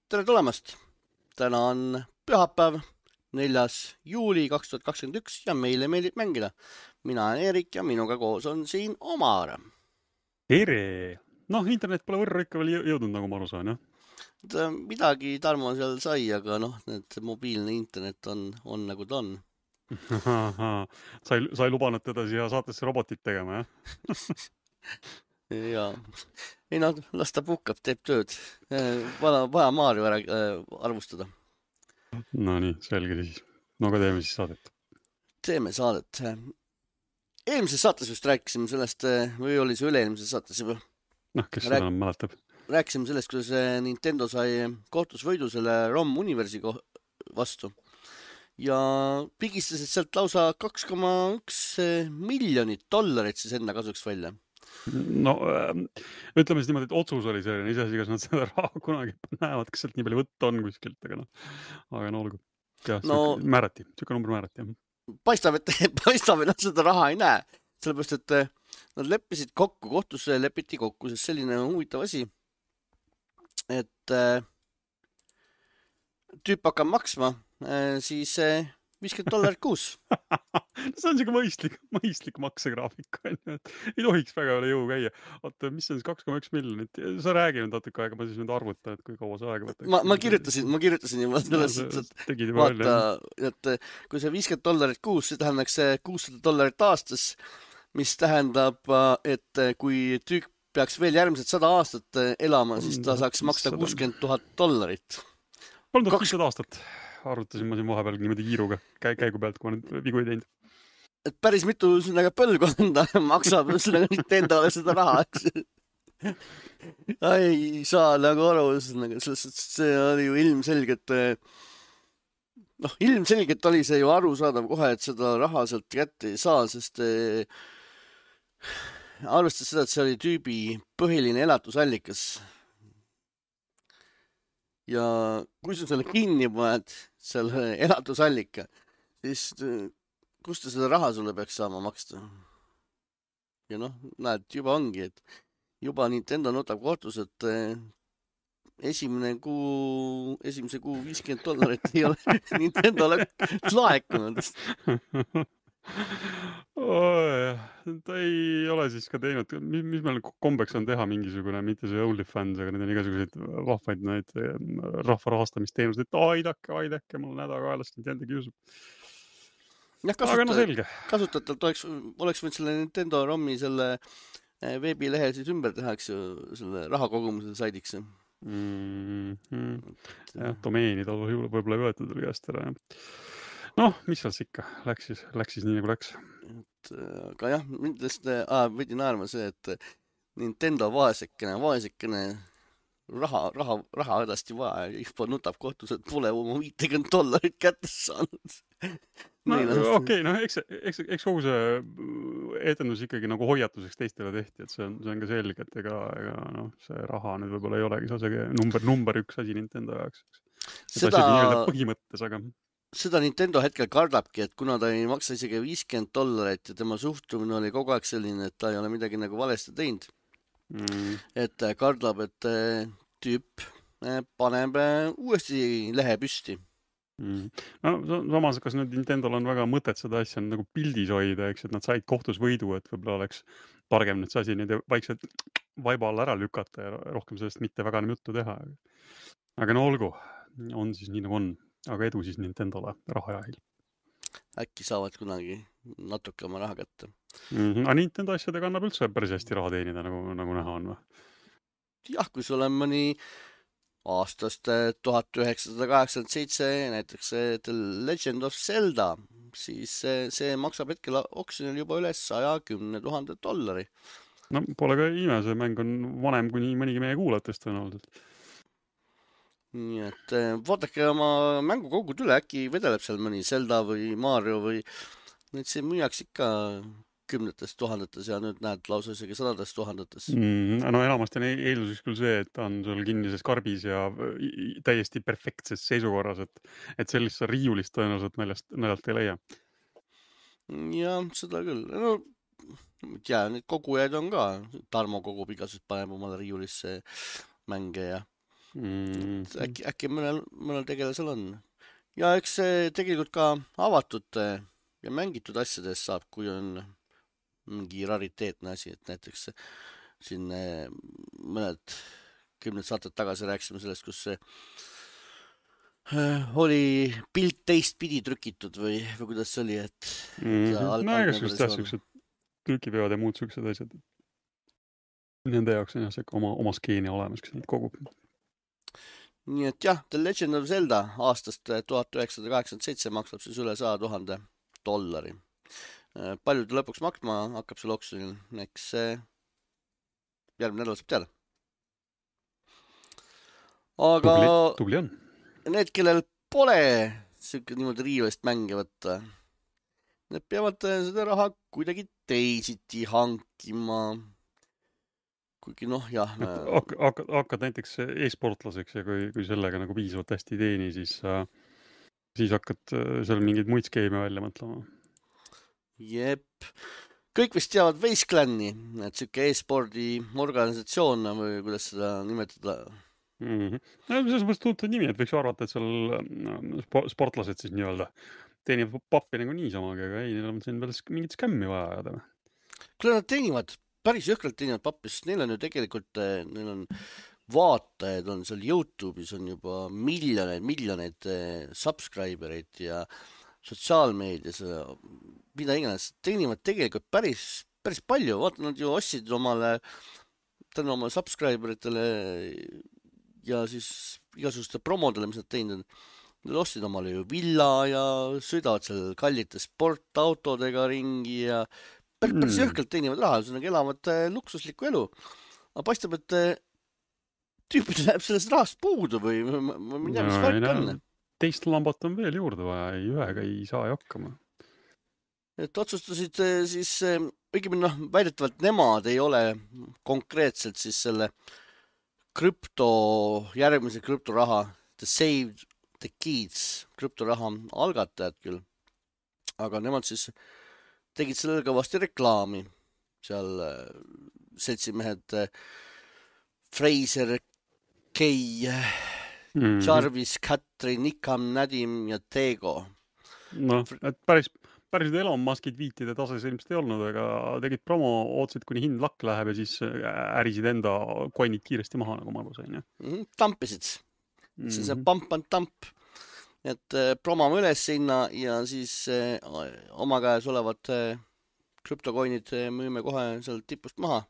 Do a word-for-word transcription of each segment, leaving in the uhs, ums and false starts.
Tere tulemast! Täna on pühapäev, neljas juuli kaks tuhat kakskümmend üks ja meile meeldib mängida. Mina olen Erik ja minuga koos on siin Omar. Tere! Noh, internet pole võrra ikka veel jõudnud, nagu ma aru saan, jah? Midagi Tarmo seal sai, aga noh, need mobiilne internet on, on nagu ta on. Sai, sai lubanud teda siia saatesse robotit tegema, jah? Ja, ei no, las ta puhkab, teeb tööd. Vaja, vaja Maarju ära äh, arvustada. No nii, selge siis. No aga teeme siis saadet. Teeme saadet. Eelmises saates just rääkisime sellest, või oli see üle-eelmises saates juba? Noh, kes seda enam mäletab? Rääkisime sellest, kuidas Nintendo sai kohtus võidu selle ROM Universi vastu. Ja pigistasid sealt lausa kaks koma üks miljonit dollarit siis enda kasuks välja. No ütleme siis niimoodi, et otsus oli selline, iseasi, kas nad seda raha kunagi näevad, kas sealt nii palju võtta on kuskilt, aga noh, aga no olgu. Jah, no, määrati, siuke number määrati. Paistab, et, paistab, et nad seda raha ei näe, sellepärast, et nad leppisid kokku, kohtusse lepiti kokku, sest selline huvitav asi, et tüüp hakkab maksma, siis viiskümmend dollarit kuus. See on siuke mõistlik, mõistlik maksegraafik. Ei tohiks väga üle jõu käia. Oota, mis on siis kaks koma üks miljonit? Sa räägi nüüd natuke aega, ma siis nüüd arvutan, et kui kaua see aega võtaks. Ma, ma kirjutasin, ma kirjutasin juba selles, et vaata, et kui see viiskümmend dollarit kuus, see tähendaks kuussada dollarit aastas, mis tähendab, et kui tüüp peaks veel järgmised sada aastat elama, siis ta saaks maksta kuuskümmend tuhat dollarit. kolm tuhat viissada aastat. Arvutasin ma siin vahepeal niimoodi kiiruga käigu pealt, kui ma nüüd vigu ei teinud. Et päris mitu põlvkonda maksab Nintendole seda raha, eks. Ei saa nagu aru, see oli ju ilmselgelt, noh, ilmselgelt oli see ju arusaadav kohe, et seda raha sealt kätte ei saa, sest arvestades seda, et see oli tüübi põhiline elatusallikas. Ja kui sa selle kinni paned, selle elatusallika, siis kust ta seda raha sulle peaks saama maksta? Ja noh, näed, juba ongi, et juba Nintendo notab kohtus, et esimene kuu, esimese kuu viiskümmend dollarit ei ole Nintendole laekunud. Oh, ta ei ole siis ka teinud, mis, mis meil kombeks on teha mingisugune, mitte see OnlyFans, aga need on igasuguseid vahvaid neid rahva rahastamisteenused, et aidake, aidake, mul nädakaelast Nintendo kiusub. Ja, kasuta, aga no selge. Kasutatelt oleks, oleks võinud selle Nintendo ROMi selle veebilehe siis ümber tehaks ju selle rahakogumusel saidiks. Mm-hmm. Ja, domeeni tal võib-olla ei võetud oli käest ära, jah. Noh, mis seal ikka? Läks siis, läks siis nii nagu läks. Et, aga jah, mindest ah, võidi naerma see, et Nintendo vaesekene, vaesekene raha, raha, raha hädasti vaja. Juba nutab kohtus, et pole oma viitekümmet dollarit kätte saanud. No, okei, okay, no eks, eks, eks kogu see etendus ikkagi nagu hoiatuseks teistele tehti, et see on, see on ka selge, et ega, ega noh, see raha nüüd võib-olla ei olegi see number, number üks asi Nintendo jaoks. Seda põhimõttes, aga... Seda Nintendo hetkel kardabki, et kuna ta ei maksa isegi viiskümmend dollarit ja tema suhtumine oli kogu aeg selline, et ta ei ole midagi nagu valesti teinud. Mm. Et kardab, et tüüp paneb uuesti lehe püsti. Mm. No samas, kas nüüd Nintendol on väga mõtet seda asja nagu pildis hoida, eks, et nad said kohtus võidu, et võib-olla oleks targem nüüd see asi nüüd vaikselt vaiba alla ära lükata ja rohkem sellest mitte väga juttu teha. Aga no olgu, on siis nii nagu on. Aga edu siis Nintendole rahajahil. Äkki saavad kunagi natuke oma raha kätte. Mm-hmm. Aga Nintendo asjadega annab üldse päris hästi raha teenida, nagu, nagu näha on või? Jah, kui sul on mõni aastast tuhat üheksasada kaheksakümmend seitse, näiteks The Legend of Zelda, siis see, see maksab hetkel oksjonil juba üle saja kümne tuhande dollari. No pole ka ime, see mäng on vanem kuni mõnigi meie kuulajatest on olnud. Nii et vaadake oma mängukogud üle, äkki vedeleb seal mõni Zelda või Mario või nüüd see müüaks ikka kümnetes tuhandetes ja nüüd näed lausa isegi sadades tuhandetes. Mm, no enamasti on eelduseks küll see, et ta on sul kinnises karbis ja täiesti perfektses seisukorras, et, et sellist riiulist tõenäoliselt naljast, naljalt ei leia. Ja seda küll. No, ja need kogujaid on ka. Tarmo kogub igasust paneb omale riiulisse mänge ja Mm. äkki, äkki mõnel, mõnel tegelasel on. Ja eks see tegelikult ka avatud ja mängitud asjades saab, kui on mingi rariteetne asi, et näiteks siin mõned kümned saated tagasi rääkisime sellest, kus see oli pilt teistpidi trükitud või, või kuidas see oli, et mm-hmm. no ega sest jah, siuksed trükipeod ja muud siuksed asjad. Nende jaoks on jah see oma, oma skeeni olemas, kes neid kogub. Nii et jah, The Legend of Zelda aastast tuhat üheksasada kaheksakümmend seitse maksab siis üle saja tuhande dollari. Palju ta lõpuks maksma hakkab see oksjonil, eks järgmine nädal saab teada. Aga tubli, tubli on. Need, kellel pole siuke niimoodi riivest mänge võtta, need peavad seda raha kuidagi teisiti hankima. Kuigi noh, jah. Hakkad, hakkad, hakkad näiteks e-sportlaseks ja kui, kui sellega nagu piisavalt hästi ei teeni, siis, siis hakkad seal mingeid muid skeeme välja mõtlema. Jep. Kõik vist teavad Wasteland'i, et siuke e-spordi organisatsioon või kuidas seda nimetada. Mm-hmm. No, selles mõttes tuntud nimi, et võiks arvata, et seal sportlased siis nii-öelda teenivad pappi nagu niisamaga, aga ei, neil on siin veel mingit skämmi vaja ajada. Kui nad teenivad päris jõhkralt teenivad pappi, sest neil on ju tegelikult, neil on vaatajaid, on seal YouTube'is on juba miljoneid, miljoneid subscribereid ja sotsiaalmeedias, mida iganes, teenivad tegelikult päris, päris palju. Vaata, nad ju ostsid omale, tänu oma subscriberitele ja siis igasuguste promodele, mis nad teinud on. Nad ostsid omale ju villa ja sõidavad seal kallite sportautodega ringi ja päris jõhkalt teenivad raha, see elavad luksuslikku elu. Aga paistab, et tüüpid läheb sellest rahast puudu või ma ei tea, mis värk on. Teist lambat on veel juurde vaja, ei ühega ei saa hakkama. Et otsustasid siis, õigemini noh, väidetavalt nemad ei ole konkreetselt siis selle krüpto, järgmise krüptoraha, The Save the Kids krüptoraha algatajad küll. Aga nemad siis tegid sellele kõvasti reklaami. Seal seltsimehed Fraser, Kay, mm-hmm. Jarvis, Katrin, Nikam, Nadim ja Tego. No, et päris, päris Elon Muskid viitide tases ilmselt ei olnud, aga tegid promo, ootsid, kuni hind lakk läheb ja siis ärisid enda coinid kiiresti maha, nagu ma aru sain. Mm-hmm. Tampisid. Mm-hmm. See on pump and tamp. Et promame üles sinna ja siis eh, oma käes olevad eh, krüptokoinid eh, müüme kohe seal tipust maha,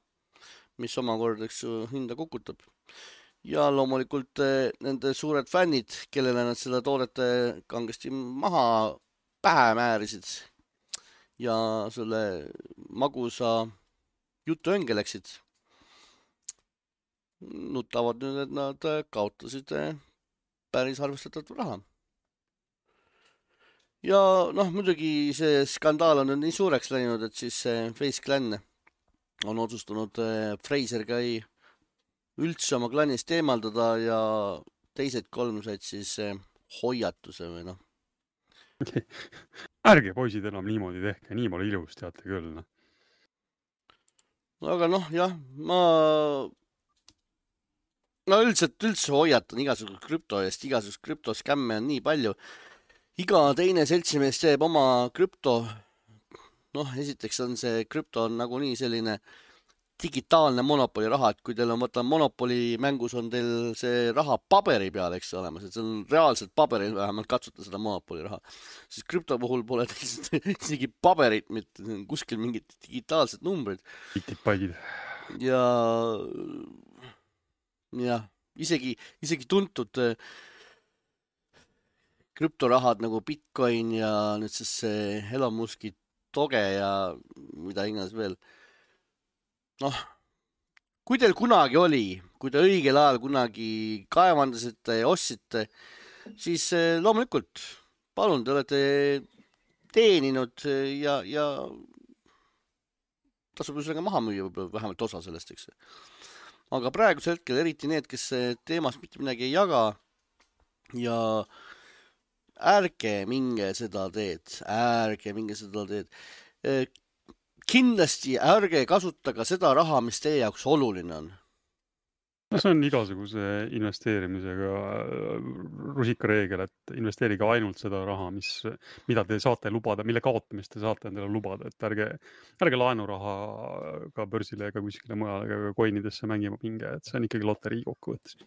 mis omakordeks hinda kukutab. Ja loomulikult eh, nende suured fännid, kellele nad seda toodete kangesti maha pähe määrisid ja selle magusa jutu õnge läksid, nutavad nüüd, et nad kaotasid eh, päris arvestatavat raha. Ja noh, muidugi see skandaal on nii suureks läinud, et siis Face Clan on otsustanud Fraser Kai üldse oma klanist eemaldada ja teised kolm said siis hoiatuse või noh. Ärge poisid enam niimoodi tehke, nii pole ilus, teate küll. No. Aga noh, jah, ma no üldiselt üldse hoiatan igasugust krüpto eest, igasugust krüptoskämme on nii palju. Iga teine seltsimees teeb oma krüpto. Noh, esiteks on see krüpto on nagu nii selline digitaalne monopoli raha, et kui teil on võtta monopoli mängus on teil see raha paberi peal, eks olemas, et see on reaalselt paberil vähemalt katsuta seda monopoli raha. Siis krüpto puhul pole isegi paberit, mitte kuskil mingid digitaalsed numbrid. Bitipallid. Ja, ja isegi, isegi tuntud krüptorahad nagu Bitcoin ja nüüd siis see Elon Muski Doge ja mida iganes veel. Noh, kui teil kunagi oli, kui te õigel ajal kunagi kaevandasite ja ostsite, siis loomulikult, palun, te olete teeninud ja, ja tasub ju sellega maha müüa võib-olla vähemalt osa sellest, eks. Aga praegusel hetkel eriti need, kes teemast mitte midagi ei jaga ja ärge minge seda teed, ärge minge seda teed. Kindlasti ärge kasutage seda raha, mis teie jaoks oluline on. No see on igasuguse investeerimisega rusikareegel, et investeerige ainult seda raha, mis, mida te saate lubada, mille kaotamist te saate endale lubada, et ärge, ärge laenuraha ka börsile ega kuskile mujale ega coinidesse mängima pinge, et see on ikkagi loterii kokkuvõttes.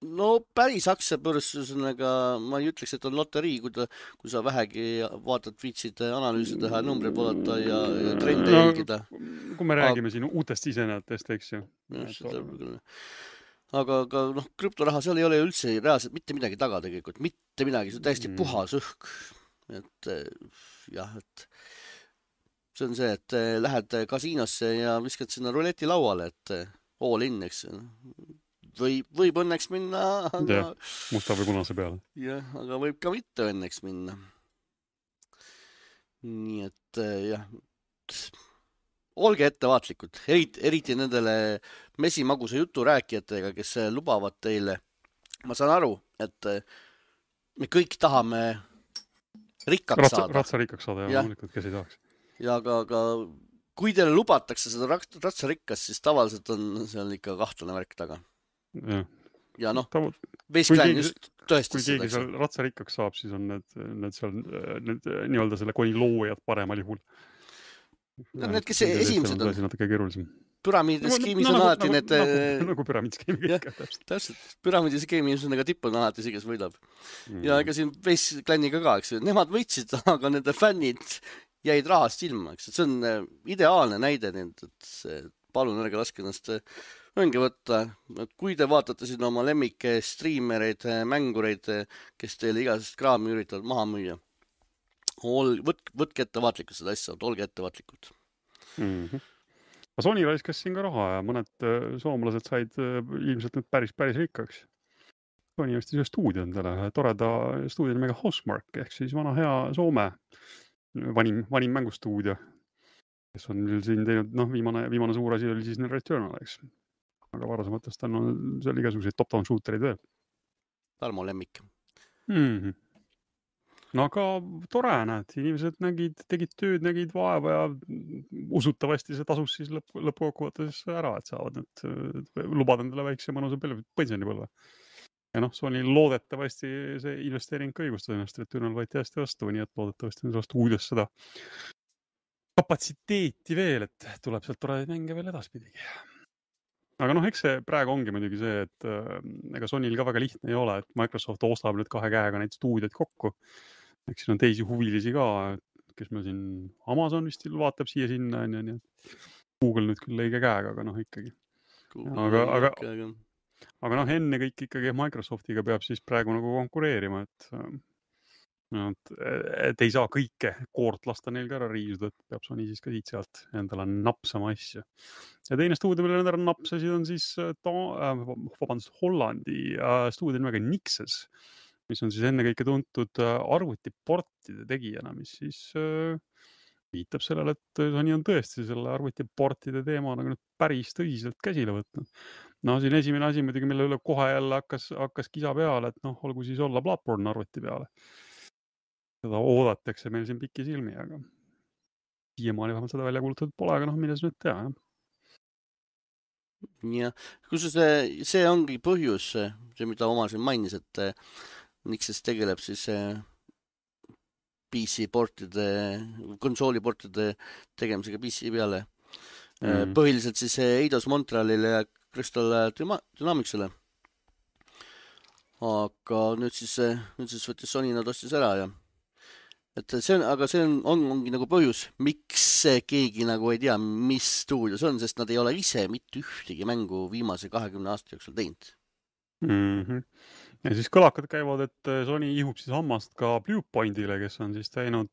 No päris aktsiabörs, ühesõnaga ma ei ütleks, et on loterii, kui, ta, kui sa vähegi vaatad, viitsid analüüsi teha, numbreid vaadata ja, ja trende no, jälgida. Kui me räägime siin uutest sisenejatest, eks ju. Aga, aga noh, krüptoraha seal ei ole üldse reaalselt mitte midagi taga tegelikult, mitte midagi, see on täiesti mm. puhas õhk. Et jah, et see on see, et lähed kasiinosse ja viskad sinna ruleti lauale, et all in, eks Võib, võib õnneks minna, aga... Ja, musta või punase peale. Jah, aga võib ka mitte õnneks minna. Nii et jah, olge ettevaatlikud, eriti, eriti nendele mesimagusa jutu rääkijatega, kes lubavad teile. Ma saan aru, et me kõik tahame rikkaks ratsa, saada. Ratsa rikkaks saada, ja loomulikult, kes ei tahaks. Ja aga, aga kui teile lubatakse seda ratsa rikkast, siis tavaliselt on seal ikka kahtlane värk taga. Ja, ja noh, Vesklein just tõestas seda. Kui keegi seal ratsa rikkaks saab, siis on need, need seal need, nii-öelda selle koni loojad paremal juhul. No, need, kes esimesed on. Natuke keerulisem. Püramiidiskeemis no, on no, alati nagu, need... Nagu, nagu püramiidiskeemi kõik. Täpselt. Püramiidiskeemis on aga tipp on alati see, kes võidab. Mm. Ja ega siin Veskliniga ka, eks. Nemad võitsid, aga nende fännid jäid rahast ilma. Eks. See on ideaalne näide, et palun ärge laske ennast õnge võtta. Kui te vaatate siin oma lemmike striimereid, mängureid, kes teile igasest kraami üritavad maha müüa, Ol, võt, võtke ettevaatlikult seda asja, olge ettevaatlikud. Mm-hmm. Sony raiskas siin ka raha ja mõned soomlased said ilmselt nüüd päris, päris rikkaks. Sony ostis ühe stuudio endale, toreda stuudio nimega Housemarque, ehk siis vana hea Soome vanim, vanim mängustuudio, kes on siin teinud, noh, viimane, viimane suur asi oli siis Returnal, eks. Aga varasematest on seal igasuguseid top-down shooterid veel. Tarmo lemmik. Mm-hmm. No aga tore, näed, inimesed nägid, tegid tööd, nägid vaeva ja usutavasti see tasus siis lõpp, lõppkokkuvõttes ära, et saavad need lubada endale väikse mõnusa pensionipõlve. Ja noh, Sony loodetavasti see investeering ka õigustas ennast, et Returnal võeti hästi vastu, nii et loodetavasti on sellest uudes seda kapatsiteeti veel, et tuleb sealt toredaid mänge veel edaspidigi. Aga noh, eks see praegu ongi muidugi see, et äh, ega Sonyl ka väga lihtne ei ole, et Microsoft ostab nüüd kahe käega neid stuudiod kokku. Eks siin on teisi huvilisi ka, kes meil siin Amazon vist vaatab siia sinna, ja nii. Google nüüd küll õige käega, aga noh ikkagi. Aga, aga, aga noh, enne kõik ikkagi Microsoftiga peab siis praegu nagu konkureerima, et, et, et ei saa kõike koort lasta neil ka ära riisuda, et peab Sony siis ka siit sealt endale napsama asja. Ja teine stuudio, mille nad ära napsasid, on siis ta, äh, vabandust, Hollandi äh, stuudio nimega Nixes, mis on siis enne kõike tuntud äh, arvutiportide tegijana, mis siis äh, viitab sellele, et Sony on tõesti selle arvutiportide teema nagu päris tõsiselt käsile võtnud. No siin esimene asi muidugi, mille üle kohe jälle hakkas, hakkas kisa peale, et noh, olgu siis olla Bloodborne arvuti peale. Seda oodatakse meil siin pikki silmi, aga siiamaani vähemalt seda välja kuulutatud pole, aga noh, milles nüüd tea, jah. Ja, kus see, see ongi põhjus, see mida oma siin mainis, et Nixes tegeleb siis P C portide, konsooliportide tegemisega P C peale. Mm. Põhiliselt siis Eidos Montrealile ja Crystal Dynamicsile. Aga nüüd siis, nüüd siis võttis Sony nad ostis ära ja et see on, aga see on, on, ongi nagu põhjus, miks keegi nagu ei tea, mis stuudio see on, sest nad ei ole ise mitte ühtegi mängu viimase kahekümne aasta jooksul teinud. Mm-hmm. Ja siis kõlakad käivad, et Sony ihub siis hammast ka Bluepointile, kes on siis teinud,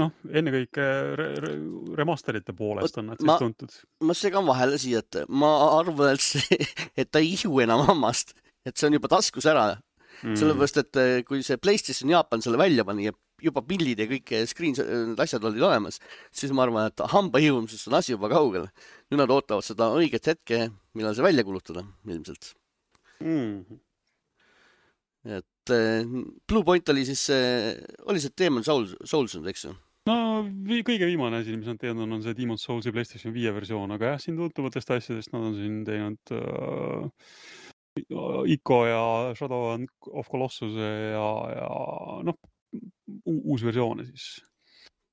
noh, ennekõike re re remasterite poolest on nad siis ma, tuntud. Ma segan vahele siia, et ma arvan, et, see, et ta ei ihu enam hammast, et see on juba taskus ära. Mm. Sellepärast, et kui see PlayStation Jaapan selle välja pani ja juba pillid ja kõik screen, asjad olid olemas, siis ma arvan, et hamba ihumisest on asi juba kaugel. Nüüd nad ootavad seda õiget hetke, millal see välja kulutada, ilmselt. Mm. Et Blue Point oli siis, oli see Demon Souls, Souls, eks ju? no vi kõige viimane asi, mis nad teinud on, on see Demon's Soulsi PlayStation viie versioon, aga jah, siin tuntuvatest asjadest nad on siin teinud uh, Ico ja Shadow of Colossuse ja, ja noh, uus versioone siis.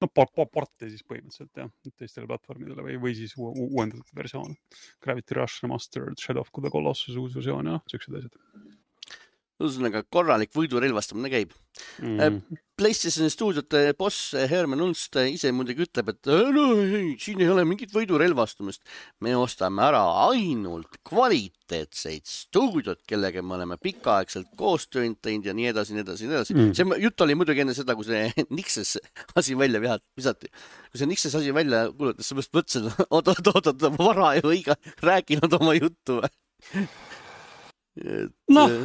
No porte siis põhimõtteliselt jah, teistele platvormidele või, või siis u- uuendatud versioon. Gravity Rush Remastered, Shadow of the Colossus uus versioon ja sellised asjad. Ühesõnaga korralik võidurelvastamine käib. Mm. PlayStation stuudiote boss Herman Unst ise muidugi ütleb, et no, ei, siin ei ole mingit võidurelvastumist. Me ostame ära ainult kvaliteetseid stuudiot, kellega me oleme pikaaegselt koostööd teinud ja nii edasi, nii edasi, nii edasi. Mm. See jutt oli muidugi enne seda, kui see Nixes asi välja visati. Kui see Nixes asi välja kuulutas, sa mõtlesin, oot, oot, oot, oot, vara ju iga rääkinud oma juttu. Et, noh.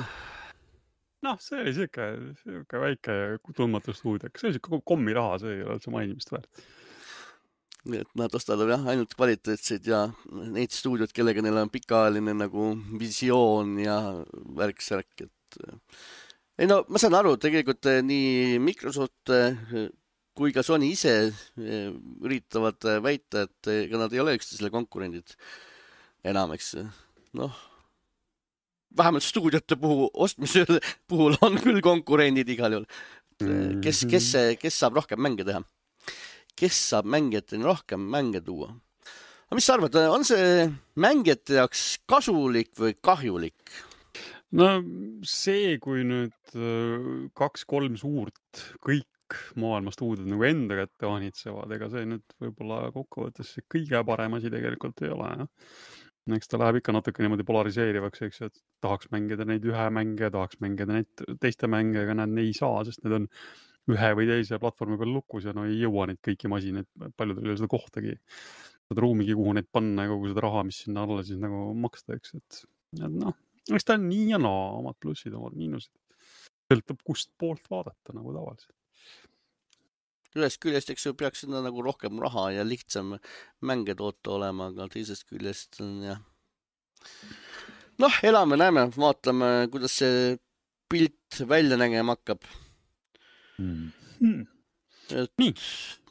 Noh, see oli siuke, siuke väike tundmatu stuudio. See oli siuke kommi raha, see ei ole üldse mainimist väärt. Nii et nad ostavad jah, ainult kvaliteetseid ja neid stuudiot, kellega neil on pikaajaline nagu visioon ja värk-särk. Et... Ei no, ma saan aru, tegelikult nii Microsoft kui ka Sony ise üritavad väita, et ega nad ei ole üksteisele konkurendid enam, eks. Noh, vähemalt stuudiote puhul, ostmise puhul on küll konkurendid igal juhul. Kes, kes, kes saab rohkem mänge teha? Kes saab mängijateni rohkem mänge tuua? Aga mis sa arvad, on see mängijate jaoks kasulik või kahjulik? No see, kui nüüd kaks-kolm suurt kõik maailma stuudiod nagu enda kätte vaanitsevad, ega see nüüd võib-olla kokkuvõttes kõige parem asi tegelikult ei ole, jah. Eks ta läheb ikka natuke niimoodi polariseerivaks, eks, et tahaks mängida neid ühe mänge, tahaks mängida neid teiste mänge, aga nad ei saa, sest need on ühe või teise platvormi peal lukus ja no ei jõua neid kõiki masinaid, paljudel ei ole seda kohtagi, seda ruumigi, kuhu neid panna ja kogu seda raha, mis sinna alla siis nagu maksta, eks, et noh, eks ta on nii ja naa, omad plussid, omad miinused. Sõltub kust poolt vaadata nagu tavaliselt. Ühest küljest, eks ju, peaks sinna nagu rohkem raha ja lihtsam mänge toota olema, aga teisest küljest on jah. Noh, elame, näeme, vaatame, kuidas see pilt välja nägema hakkab. Hmm. Hmm. Et Nii.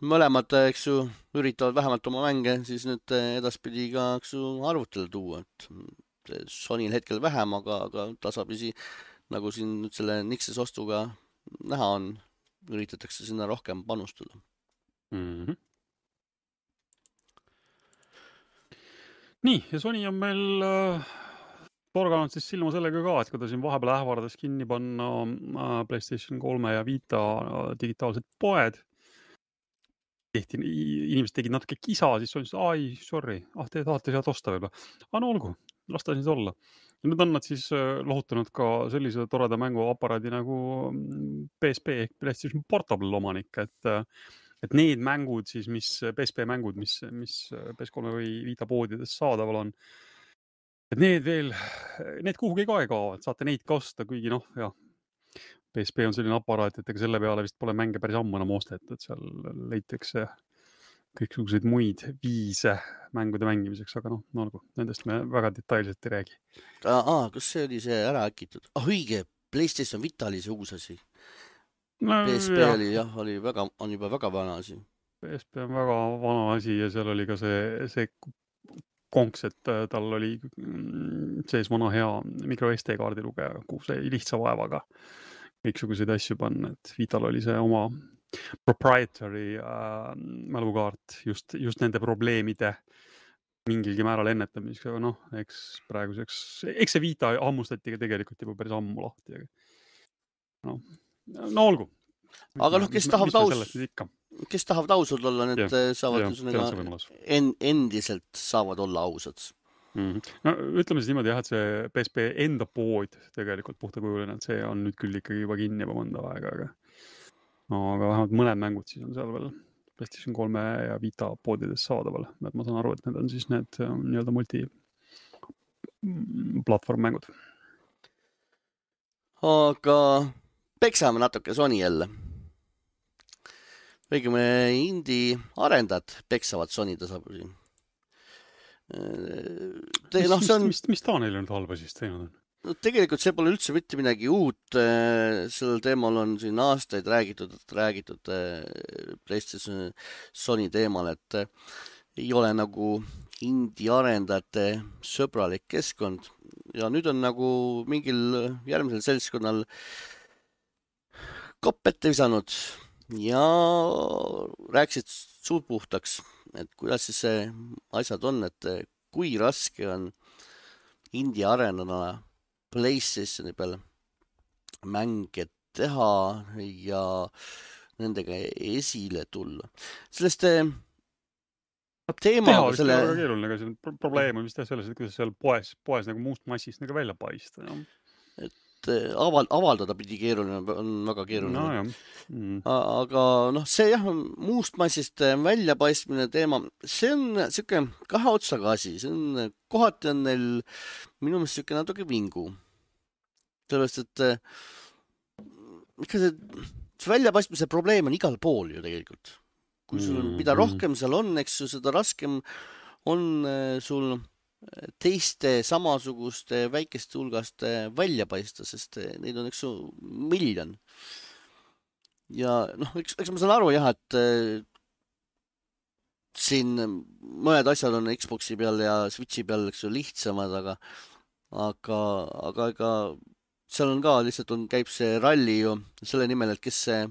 Mõlemad, eks ju, üritavad vähemalt oma mänge siis nüüd edaspidi ka, eks ju, arvutile tuua. Et Sonyl hetkel vähem, aga, aga tasapisi, nagu siin nüüd selle Nixes ostuga näha on, üritatakse sinna rohkem panustada. Mm-hmm. Nii, ja Sony on meil äh, torganud siis silma sellega ka, et kui ta siin vahepeal ähvardas kinni panna äh, PlayStation kolme ja Vita äh, digitaalsed poed, tehti, inimesed tegid natuke kisa, siis Sony ütles, ai, sorry, ah, te tahate sealt osta võib-olla. Ah, no olgu, lasta siis olla. Ja nüüd on nad siis lohutanud ka sellise toreda mänguaparaadi nagu P S P ehk PlayStation Portable omanik, et, et need mängud siis, mis P S P mängud, mis, mis P S kolme või Vita poodides saadaval on, et need veel, need kuhugi ka ei kao, et saate neid ka osta, kuigi noh, jah, P S P on selline aparaat, et ega selle peale vist pole mänge päris ammu enam ostet, et seal leitakse kõiksuguseid muid viise mängude mängimiseks, aga noh, no olgu, nendest me väga detailselt ei räägi. Aa, kas see oli see ära äkitud? Ah, õige, PlayStation Vita oli see uus asi. No, P S P jah. oli, jah, oli väga, on juba väga vana asi. P S P on väga vana asi ja seal oli ka see, see konks, et tal oli sees vana hea micro S D kaardi lugeja, kuhu see lihtsa vaevaga kõiksuguseid asju panna, et Vital oli see oma proprietary äh, mälukaart just, just nende probleemide mingilgi määral ennetamiseks, aga noh, eks praeguseks, eks see Vita hammustati ka tegelikult juba päris ammu lahti. No, no olgu. Aga noh, kes tahavad aus, kes tahavad ausad olla, need ja, saavad ja, en, endiselt saavad olla ausad. Mm-hmm. No ütleme siis niimoodi jah, et see P S P enda pood tegelikult puhtakujuline, et see on nüüd küll ikkagi juba kinni juba mõnda aega, aga no, aga vähemalt mõned mängud siis on seal veel PlayStation kolme ja Vita poodides saadaval. Et ma saan aru, et need on siis need nii-öelda multi-platvorm mängud. Aga peksame natuke Sony jälle. Õigeme indie arendajad peksavad Sony tasapisi. Te, mis, no, see on... mis, mis ta neile nüüd halba siis teinud on? no tegelikult see pole üldse mitte midagi uut. Sellel teemal on siin aastaid räägitud, räägitud PlayStation Sony teemal, et ei ole nagu indie arendajate sõbralik keskkond ja nüüd on nagu mingil järgmisel seltskonnal kopp ette visanud ja rääkisid suud puhtaks, et kuidas siis see asjad on, et kui raske on indie arendajana PlayStationi peal mänge teha ja nendega esile tulla. Sellest teha teemaga vist ei selle, ole väga keeruline, aga see on pro- probleem on vist jah selles, et kuidas seal poes, poes nagu muust massist nagu välja paista. jah. et aval, avaldada pidi keeruline, on väga keeruline. no jah. Mm. A- aga noh, see jah, muust massist väljapaistmine teema, see on siuke kahe otsaga asi, see on, kohati on neil minu meelest siuke natuke vingu. sellepärast, et eh, ikka see, see väljapaistmise probleem on igal pool ju tegelikult. Kui sul on, mida Mhm. rohkem seal on, eks ju, seda raskem on eh, sul teiste samasuguste väikeste hulgast eh, välja paista, sest eh, neid on, eks ju, miljon. Ja noh, eks, eks ma saan aru jah, et eh, siin mõned asjad on Xboxi peal ja Switchi peal, eks ju, lihtsamad, aga aga, aga ega seal on ka lihtsalt on, käib see ralli ju selle nimel, et kes see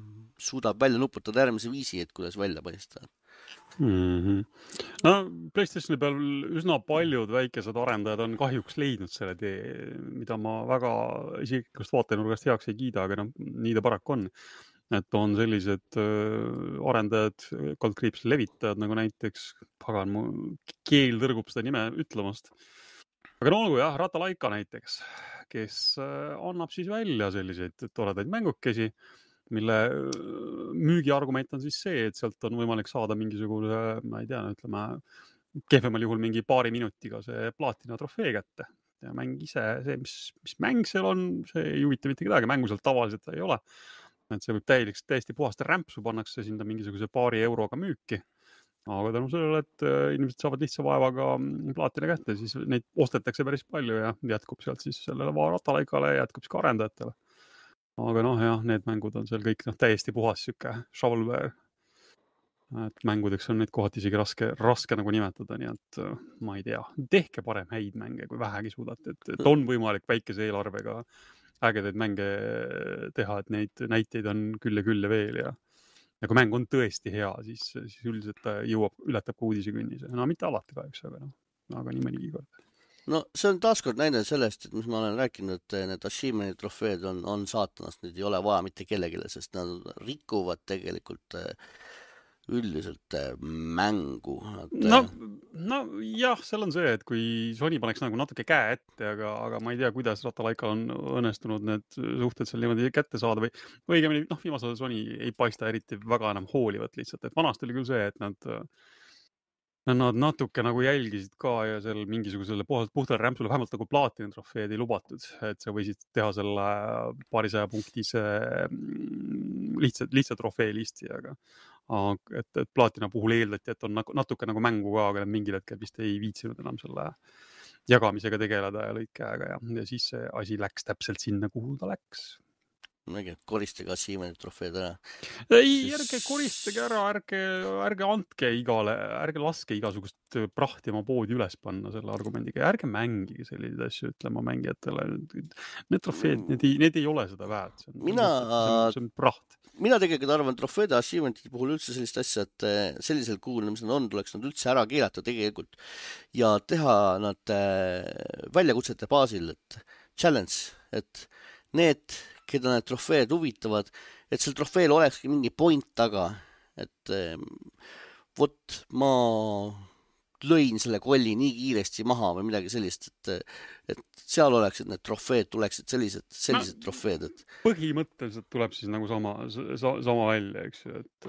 suudab välja nuputada järgmise viisi, et kuidas välja paista. Mhm. no PlayStationi peal üsna paljud väikesed arendajad on kahjuks leidnud selle tee, mida ma väga isiklikust vaatenurgast heaks ei kiida, aga noh, nii ta paraku on. Et on sellised äh, arendajad, kaldkriips levitajad, nagu näiteks, pagan, mu keel tõrgub seda nime ütlemast. Aga no olgu jah, Ratalaika näiteks, kes äh, annab siis välja selliseid toredaid mängukesi, mille äh, müügiargument on siis see, et sealt on võimalik saada mingisugune, ma ei tea, ütleme, kehvemal juhul mingi paari minutiga see plaatina trofee kätte. Ja mäng ise, see, mis, mis mäng seal on, see ei huvita mitte kedagi, mängu seal tavaliselt ei ole. Et see võib täieliks, täiesti puhast rämpsu pannakse sinna mingisuguse paari euroga müüki. Aga tänu sellele, et äh, inimesed saavad lihtsa vaevaga mm, plaatina kätte, siis neid ostetakse päris palju ja jätkub sealt siis sellele Ratalaikale ja jätkub siis ka arendajatele. Aga noh, jah, need mängud on seal kõik noh, täiesti puhas siuke shovelware. Et mängudeks on neid kohati isegi raske, raske nagu nimetada, nii et äh, ma ei tea. Tehke parem häid mänge, kui vähegi suudate. Et, et on võimalik väikese eelarvega ägedaid mänge teha, et neid näiteid on küll ja küll ja veel ja ja kui mäng on tõesti hea, siis, siis üldiselt ta jõuab, ületab ka uudisekünnise. No mitte alati kahjuks, aga noh, aga nii mõnigi kord. No see on taaskord näide sellest, et mis ma olen rääkinud, et need achievementi trofeed on, on saatanast, neid ei ole vaja mitte kellegile, sest nad rikuvad tegelikult eh, üldiselt eh, mängu. Nad, No, eh, no jah, seal on see, et kui Sony paneks nagu natuke käe ette, aga, aga ma ei tea, kuidas Ratalaikal on õnnestunud need suhted seal niimoodi kätte saada või või õigemini, noh, viimasel ajal Sony ei paista eriti väga enam hoolivat lihtsalt, et vanasti oli küll see, et nad Nad natuke nagu jälgisid ka ja seal mingisugusele puhtalt puhtale rämpsule vähemalt nagu plaatina trofeed ei lubatud, et sa võisid teha selle paarisaja punktise mm, lihtsa, lihtsa trofee listi, aga aga et, et plaatina puhul eeldati, et on nagu, natuke nagu mängu ka, aga nad mingil hetkel vist ei viitsinud enam selle jagamisega tegeleda ja lõid käega ja, ja siis see asi läks täpselt sinna, kuhu ta läks. mingi koristage achievementi trofeed ära. Ei, ärge koristage ära, ärge, ärge andke igale, ärge laske igasugust prahti oma poodi üles panna selle argumendiga ja ärge mängige selliseid asju ütlema mängijatele. Need trofeed, need ei, need ei ole seda väärt. See on, Mina, see on, see on praht. mina tegelikult arvan, trofeede achievementide puhul üldse sellist asja, et eh, sellisel kujul, mis nad on, tuleks nad üldse ära keelata tegelikult ja teha nad eh, väljakutsete baasil, et challenge, et need, keda need trofeed huvitavad, et seal trofeel olekski mingi point taga, et eh, vot ma lõin selle kolli nii kiiresti maha või midagi sellist, et, et seal oleksid need trofeed, tuleksid sellised, sellised no, trofeed, et põhimõtteliselt tuleb siis nagu sama, sama välja, eks ju, et,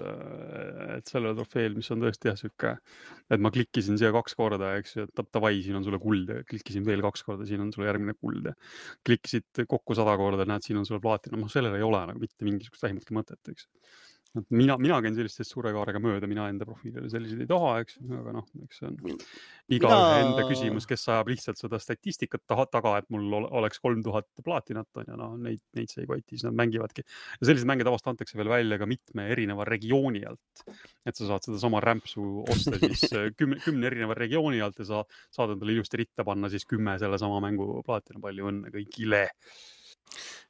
et sellele trofeel, mis on tõesti jah, sükke, et ma klikkisin siia kaks korda, eks ju, et davai, siin on sulle kuld ja klikkisin veel kaks korda, siin on sulle järgmine kuld ja klikkisid kokku sada korda, näed, siin on sulle plaatina, noh, sellel ei ole nagu mitte mingisugust vähimatki mõtet, eks. mina, mina käin sellistest suure kaarega mööda, mina enda profiilile selliseid ei taha, eks, aga noh, eks see on iga mina... ühe enda küsimus, kes ajab lihtsalt seda statistikat taha, taga, et mul oleks kolm tuhat plaatinat on ja noh, neid, neid see ei koti, siis nad mängivadki. Ja sellised mänge tavast antakse veel välja ka mitme erineva regiooni alt. Et sa saad seda sama rämpsu osta siis kümne, kümne erineva regiooni alt ja sa saad endale ilusti ritta panna siis kümme selle sama mängu plaatina. Palju õnne kõigile.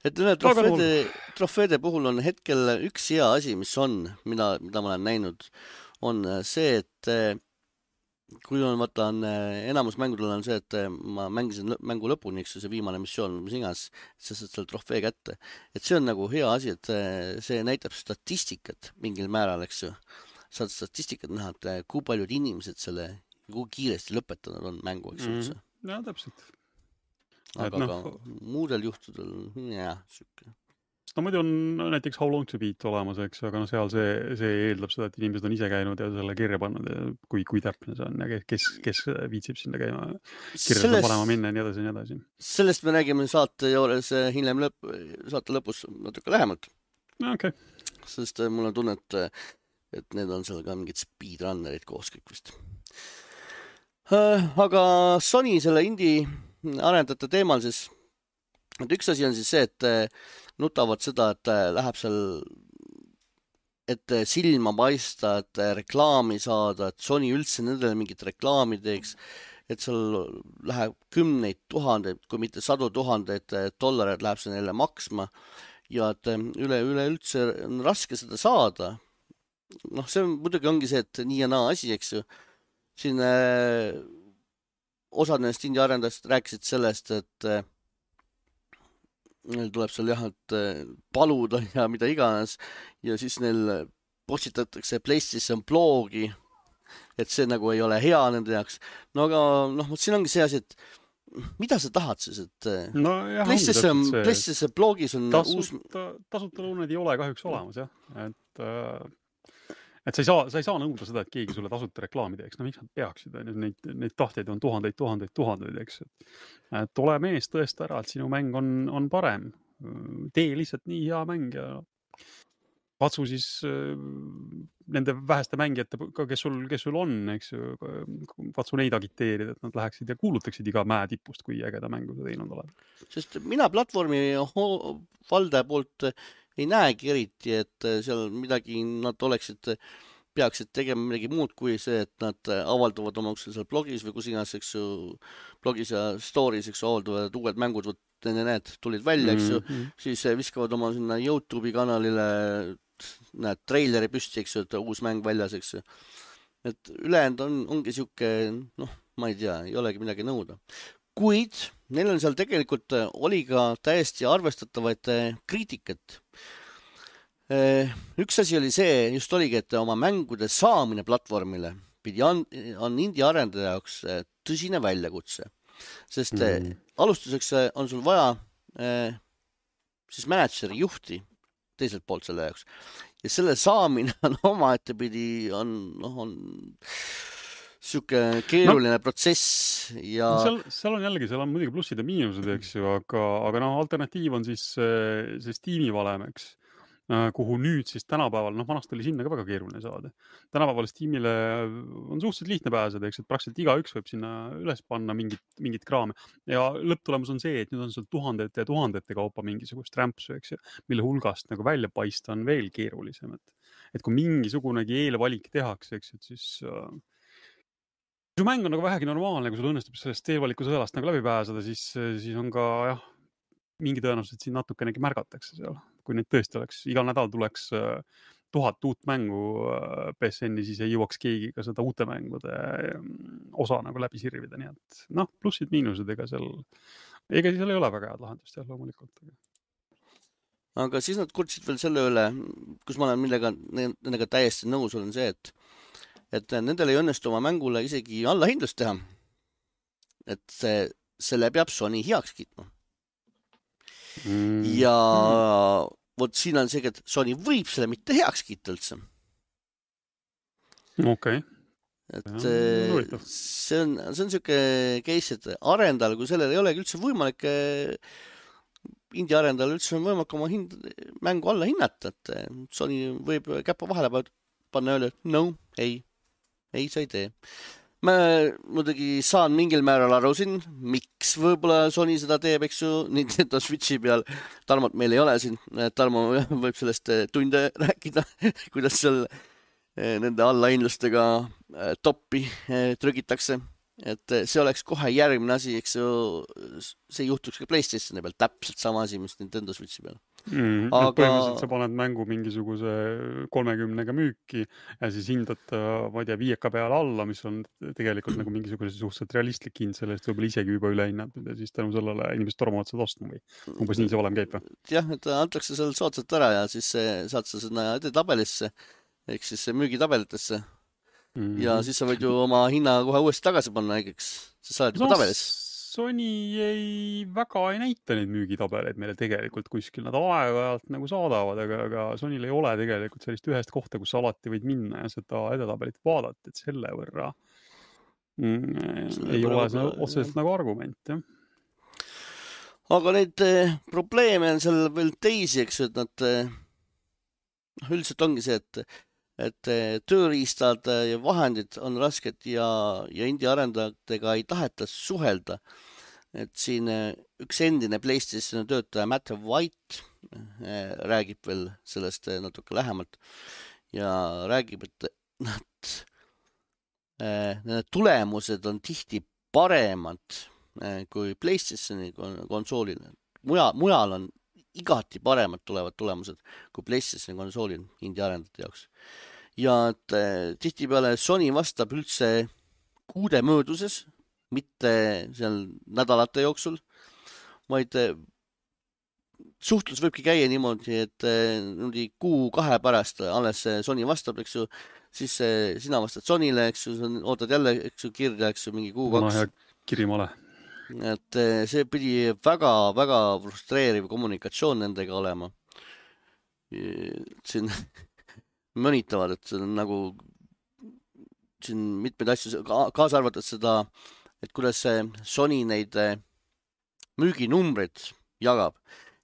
Et trofeede, trofeede puhul on hetkel üks hea asi, mis on, mida, mida ma olen näinud, on see, et kui on, vaata, on, enamus mängudel on see, et ma mängisin mängu lõpuni, eks see viimane missioon, mis igas, et sa saad selle trofee kätte. Et see on nagu hea asi, et see näitab statistikat mingil määral, eks ju. Saad statistikat näha, et kui paljud inimesed selle, kui kiiresti lõpetanud on mängu, eks üldse. Mm, ja, täpselt. Aga no, ka muudel juhtudel, jah, sükke. No muidu on näiteks How Long to Beat olemas, eks, aga no seal see, see eeldab seda, et inimesed on ise käinud ja selle kirja pannud ja kui, kui täpne see on ja kes, kes viitsib sinna käima kirja seda panema minna ja nii edasi ja nii edasi. Sellest me räägime saate juures hiljem lõpp, saate lõpus natuke lähemalt. Okay. Sest mul on tunne, et, et need on seal ka mingid speedrunnerid koos kõik vist. Aga Sony selle indie arendajate teemal siis, et üks asi on siis see, et nutavad seda, et läheb seal, et silma paista, et reklaami saada, et Sony üldse nendele mingit reklaami teeks, et seal läheb kümneid tuhandeid, kui mitte sadu tuhandeid dollareid läheb see neile maksma ja et üle, üle üldse on raske seda saada. Noh, see muidugi ongi see, et nii ja naa asi, eks ju. Siin osad nendest indie arendajast rääkisid sellest, et neil tuleb seal jah, et paluda ja mida iganes ja siis neil postitatakse PlayStation blogi, et see nagu ei ole hea nende jaoks. No aga noh, siin ongi see asi, et mida sa tahad siis, et no, jah, PlayStation, see... PlayStation blogis on tasuta, uus... Tasuta lõunad ei ole kahjuks olemas, jah. Et... Äh... Et sa ei saa, sa ei saa nõuda seda, et keegi sulle tasuta reklaami teeks. No miks nad peaksid? Neid, neid tahteid on tuhandeid, tuhandeid, tuhandeid, eks. Et ole mees tõesta ära, et sinu mäng on, on parem. Tee lihtsalt nii hea mäng ja katsu siis nende väheste mängijate, kes sul, kes sul on, eks. Katsu neid agiteerida, et nad läheksid ja kuulutaksid iga mäe tipust, kui ägeda mängu sa teinud oled. Sest mina platvormi valdaja poolt ei näegi eriti, et seal midagi nad oleksid, peaksid tegema midagi muud kui see, et nad avaldavad oma seal blogis või kus iganes, eks ju, blogis ja stories, eks ju, avaldavad uued mängud, võt need tulid välja, eks ju, mm-hmm. siis viskavad oma sinna YouTube'i kanalile, näed, treileri püsti, eks ju, et uus mäng väljas, eks ju. Et ülejäänud on, ongi siuke, noh, ma ei tea, ei olegi midagi nõuda. Kuid neil on seal tegelikult oli ka täiesti arvestatavaid kriitikat. Üks asi oli see, just oligi, et oma mängude saamine platvormile pidi on, on indie arendaja jaoks tõsine väljakutse. Sest mm. alustuseks on sul vaja siis managerii juhti teiselt poolt selle jaoks. Ja selle saamine on oma ettepidi on, noh, on siuke keeruline no, protsess ja seal, seal on jällegi, seal on muidugi plussid ja miinused, eks ju, aga, aga noh, alternatiiv on siis see, see Steam'i valem, eks, kuhu nüüd siis tänapäeval, noh, vanast oli sinna ka väga keeruline saada. Tänapäeval Steam'ile on suhteliselt lihtne pääseda, eks, et praktiliselt igaüks võib sinna üles panna mingit, mingit kraame ja lõpptulemus on see, et nüüd on seal tuhandete ja tuhandete kaupa mingisugust rämpsu, eks ju, mille hulgast nagu välja paista on veel keerulisem, et, et kui mingisugunegi eelvalik tehakse, eks, et siis kui su mäng on nagu vähegi normaalne, kui sul õnnestub sellest eelvaliku sõelast nagu läbi pääseda, siis, siis on ka, jah, mingi tõenäoliselt siin natukenegi märgatakse seal. Kui neid tõesti oleks, igal nädal tuleks tuhat uut mängu P S N-i, siis ei jõuaks keegi ka seda uute mängude osa nagu läbi sirvida. Nii et, noh, plussid, miinused, ega seal, ega seal ei ole väga head lahendust, jah, loomulikult. Aga siis nad kurtsid veel selle üle, kus ma olen millega, nendega täiesti nõus olen see, et et nendel ei õnnestu oma mängule isegi allahindlust teha. Et see, selle peab Sony heaks kiitma. Mm. Ja mm. vot siin on see, et Sony võib selle mitte heaks kiita üldse. Okei. Okay. Et ja, see on, see on siuke case, et arendajal, kui sellel ei olegi üldse võimalik indie arendajal üldse on võimalik oma hind, mängu alla hinnata, et Sony võib käpa vahele panna öelda, et no, ei, ei, sa ei tee. Ma muidugi saan mingil määral aru siin, miks võib-olla Sony seda teeb, eks ju, Nintendo Switchi peal. Tarmot meil ei ole siin, Tarmo võib sellest tunde rääkida, kuidas seal nende allainlustega toppi trügitakse. Et see oleks kohe järgmine asi, eks ju, see juhtuks ka PlayStationi peal, täpselt sama asi, mis Nintendo Switchi peal. Mm, aga põhimõtteliselt sa paned mängu mingisuguse kolmekümnega müüki ja siis hindad, ma ei tea, viieka peale alla, mis on tegelikult nagu mingisuguse suhteliselt realistlik hind sellest võib-olla isegi juba üle hinnad ja siis tänu sellele inimesed tormavad seda ostma või umbes nii see valem käib või? Jah, et antakse seal soodsalt ära ja siis saad sa sinna edetabelisse ehk siis müügitabelitesse mm-hmm. ja siis sa võid ju oma hinna kohe uuesti tagasi panna näiteks, sa saad juba tabelis. Sony ei väga ei näita neid müügitabeleid meile tegelikult kuskil. Nad aeg-ajalt nagu saadavad, aga, aga Sonyl ei ole tegelikult sellist ühest kohta, kus alati võid minna ja seda edetabelit vaadata, et selle võrra mm, ei ole see otseselt nagu argument. Jah. Aga neid eh, probleeme on seal veel teisi, eks, et nad eh, üldiselt ongi see, et, et eh, tööriistad ja vahendid on rasked ja, ja indie arendajatega ei taheta suhelda. Et siin üks endine PlayStationi töötaja Matt White räägib veel sellest natuke lähemalt ja räägib, et nad, need tulemused on tihti paremad kui PlayStationi konsoolil. Mujal, mujal on igati paremad tulevad tulemused kui PlayStationi konsoolil indie arendajate jaoks. Ja et tihti peale Sony vastab üldse kuude mööduses, mitte seal nädalate jooksul, vaid suhtlus võibki käia niimoodi, et niimoodi kuu kahe pärast alles Sony vastab, eks ju, siis sina vastad Sonyle, eks ju, ootad jälle, eks ju, kirja, eks ju, mingi kuu kaks. No, ja kirimale. Et see pidi väga, väga frustreeriv kommunikatsioon nendega olema. Siin mõnitavad, et see on nagu siin mitmeid asju, kaasa arvatud seda, et kuidas Sony neid müüginumbreid jagab,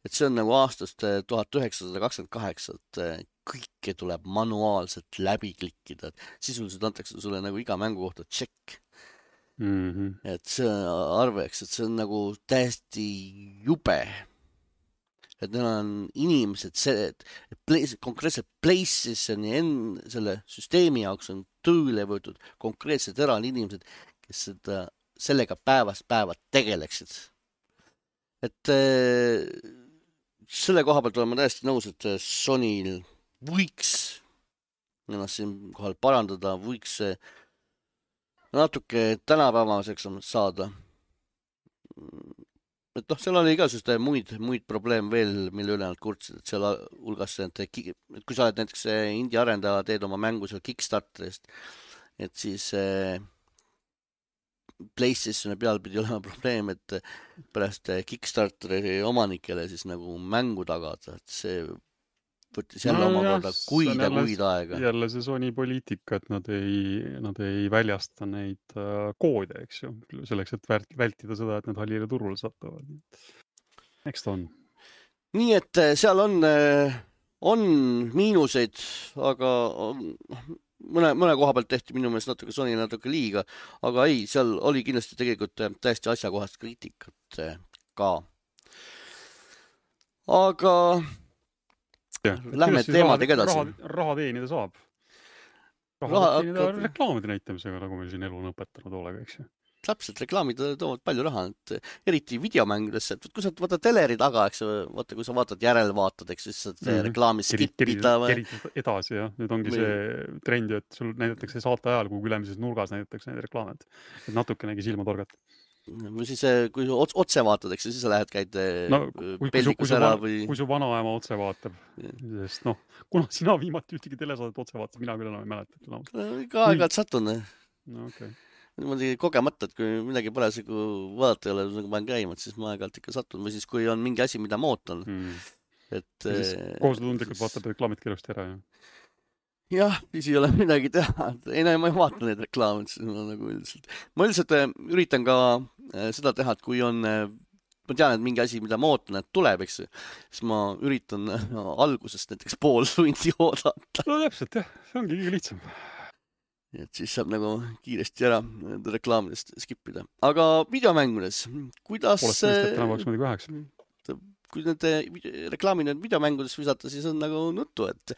et see on nagu aastast tuhat üheksasada kakskümmend kaheksa, et kõike tuleb manuaalselt läbi klikkida, et sisuliselt antakse sulle nagu iga mängu kohta tšekk. Mm-hmm. Et see arveks, et see on nagu täiesti jube. Et neil on inimesed, see, et place, konkreetselt PlayStationi enne selle süsteemi jaoks on tööle võetud konkreetsed eraldi inimesed, kes seda, sellega päevast päeva tegeleksid. Et äh, selle koha pealt olen ma täiesti nõus, et Sonyl võiks ennast siin kohal parandada, võiks natuke tänapäevaseks saada. Et noh, seal oli ka muid, muid probleem veel, mille üle nad kurtsid, et seal hulgas, et kui sa oled näiteks indie arendaja, teed oma mängu seal Kickstarterist, et siis äh, PlayStationi peal pidi olema probleem, et pärast Kickstarteri omanikele siis nagu mängu tagada, et see võttis jälle no, oma korda kuid ja kuid aega. Jälle see Sony poliitika, et nad ei, nad ei väljasta neid uh, koode, eks ju, selleks, et vältida seda, et need hallile turule satuvad. Eks ta on. Nii, et seal on, on miinuseid, aga on, mõne, mõne koha pealt tehti minu meelest natuke Sony natuke liiga, aga ei, seal oli kindlasti tegelikult täiesti asjakohast kriitikat ka. Aga ja, lähme teemadega edasi. Raha, raha teenida saab. Raha, raha teenida hakkab... reklaamide näitamisega, nagu me siin elu on õpetanud hoolega, eks ju. Täpselt, reklaamid toovad palju raha, et eriti videomängudesse, et kui sa vaatad teleri taga, eks vaata, kui sa vaatad järelvaatad, eks siis saad mm-hmm. reklaami skipida. Kerid edasi, jah. Nüüd ongi või... see trend, et sul näidatakse saate ajal, kui ülemises nurgas näidatakse neid reklaamed. Et natukenegi silma torgata. Või siis, kui sa otse vaatad, eks siis sa lähed, käid no, kui, peldikus kui, ära kui või... Kui su vanaema otse vaatab, sest noh, kuna sina viimati ühtegi telesaadet otse vaatad, mina küll enam ei mäleta. Ka aeg-ajalt satun. No, okay. Niimoodi kogemata, et kui midagi parasjagu vaadata ei ole, nagu ma olen käinud, siis ma aeg-ajalt ikka satun. Või siis, kui on mingi asi, mida ma ootan. Hmm. Et, ja siis kohusetundlikult siis... vaatab reklaamid kiirusti ära, jah? Jah, siis ei ole midagi teha. Ei, no, ma ei vaata neid reklaamid. Ma, nagu üldiselt. ma üldiselt üritan ka seda teha, et kui on ma tean, et mingi asi, mida ma ootan, et tuleb, eks ju, siis ma üritan algusest näiteks pool tundi oodata. No täpselt, jah, see ongi kõige lihtsam. Et siis saab nagu kiiresti ära reklaamidest skipida. Aga videomängudes, kuidas... Poolest mõist, et täna peaks mõni kaheks. Kui need reklaamid need videomängudes visata, siis on nagu nuttu, et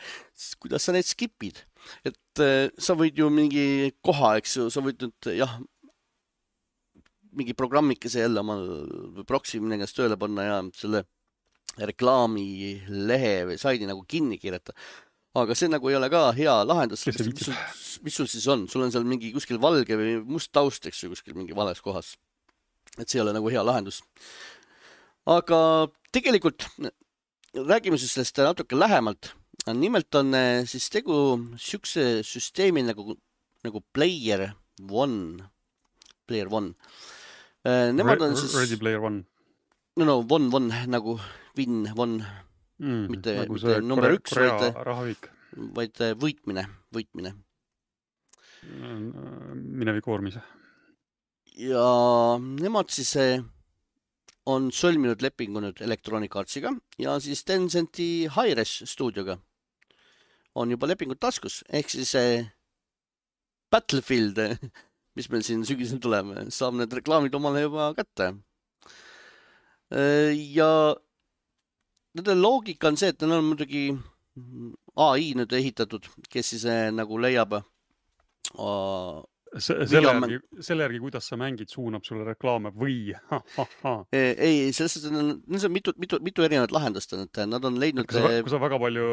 kuidas sa need skipid. Et sa võid ju mingi koha, eks ju, sa võid nüüd, jah, mingi programmikese jälle oma proksi minnes tööle panna ja selle reklaami lehe või saidi nagu kinni kirjata. Aga see nagu ei ole ka hea lahendus. Mis, mis, sul, mis sul siis on? Sul on seal mingi kuskil valge või must taust, eks ju, kuskil mingi vales kohas. Et see ei ole nagu hea lahendus. Aga tegelikult räägime siis sellest natuke lähemalt. Nimelt on siis tegu siukse süsteemi nagu, nagu Player One. Player One. Nemad on siis... Ready Player One. No, no, one, one, nagu win, one. Mm, mitte, nagu mitte number üks, vaid, vaid võitmine, võitmine. Mineviku vormis. Ja nemad siis on sõlminud lepingu nüüd Electronic Artsiga ja siis Tencenti Hi-Res stuudioga on juba lepingud taskus. Ehk siis Battlefield, mis meil siin sügisel tuleme, saab need reklaamid omale juba kätte. Ja nende loogika on see, et neil on muidugi A I nüüd ehitatud, kes siis nagu leiab uh, selle, järgi, selle järgi, kuidas sa mängid, suunab sulle reklaame või? Ha, ha, ha. Ei, selles on, on mitu, mitu, mitu erinevat lahendust, et nad on leidnud... Kui sa, kui sa väga palju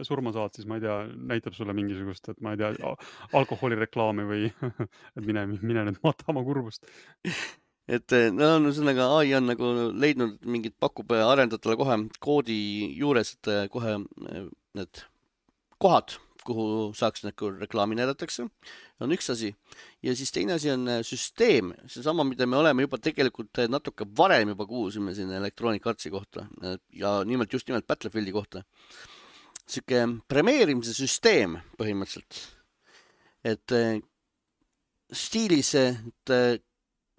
surma saad, siis ma ei tea, näitab sulle mingisugust, et ma ei tea, alkoholireklaami või et mine, mine nüüd matama kurbust. Et no, no sellega A I on nagu leidnud mingit pakub arendajatele kohe koodi juures, et kohe need kohad, kuhu saaks nagu reklaami näidatakse, on üks asi. Ja siis teine asi on süsteem, see sama, mida me oleme juba tegelikult natuke varem juba kuulsime siin Electronic Artsi kohta ja nimelt just nimelt Battlefieldi kohta. Siuke premeerimise süsteem põhimõtteliselt. Et stiilis, et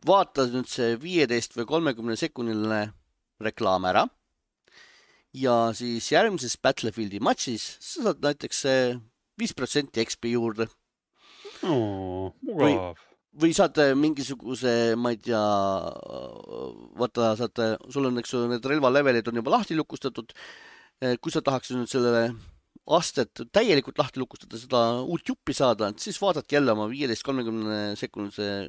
vaata nüüd see viieteist või kolmekümne sekundiline reklaam ära ja siis järgmises Battlefieldi matšis sa saad näiteks viis protsenti X P juurde. Oo, mugav. Või, või saad mingisuguse, ma ei tea, vaata, saad, sul on, eks, need relvalevelid on juba lahti lukustatud. Kui sa tahaks nüüd sellele astet täielikult lahti lukustada, seda uut juppi saada, siis vaadad jälle oma viieteist kolmekümne sekundise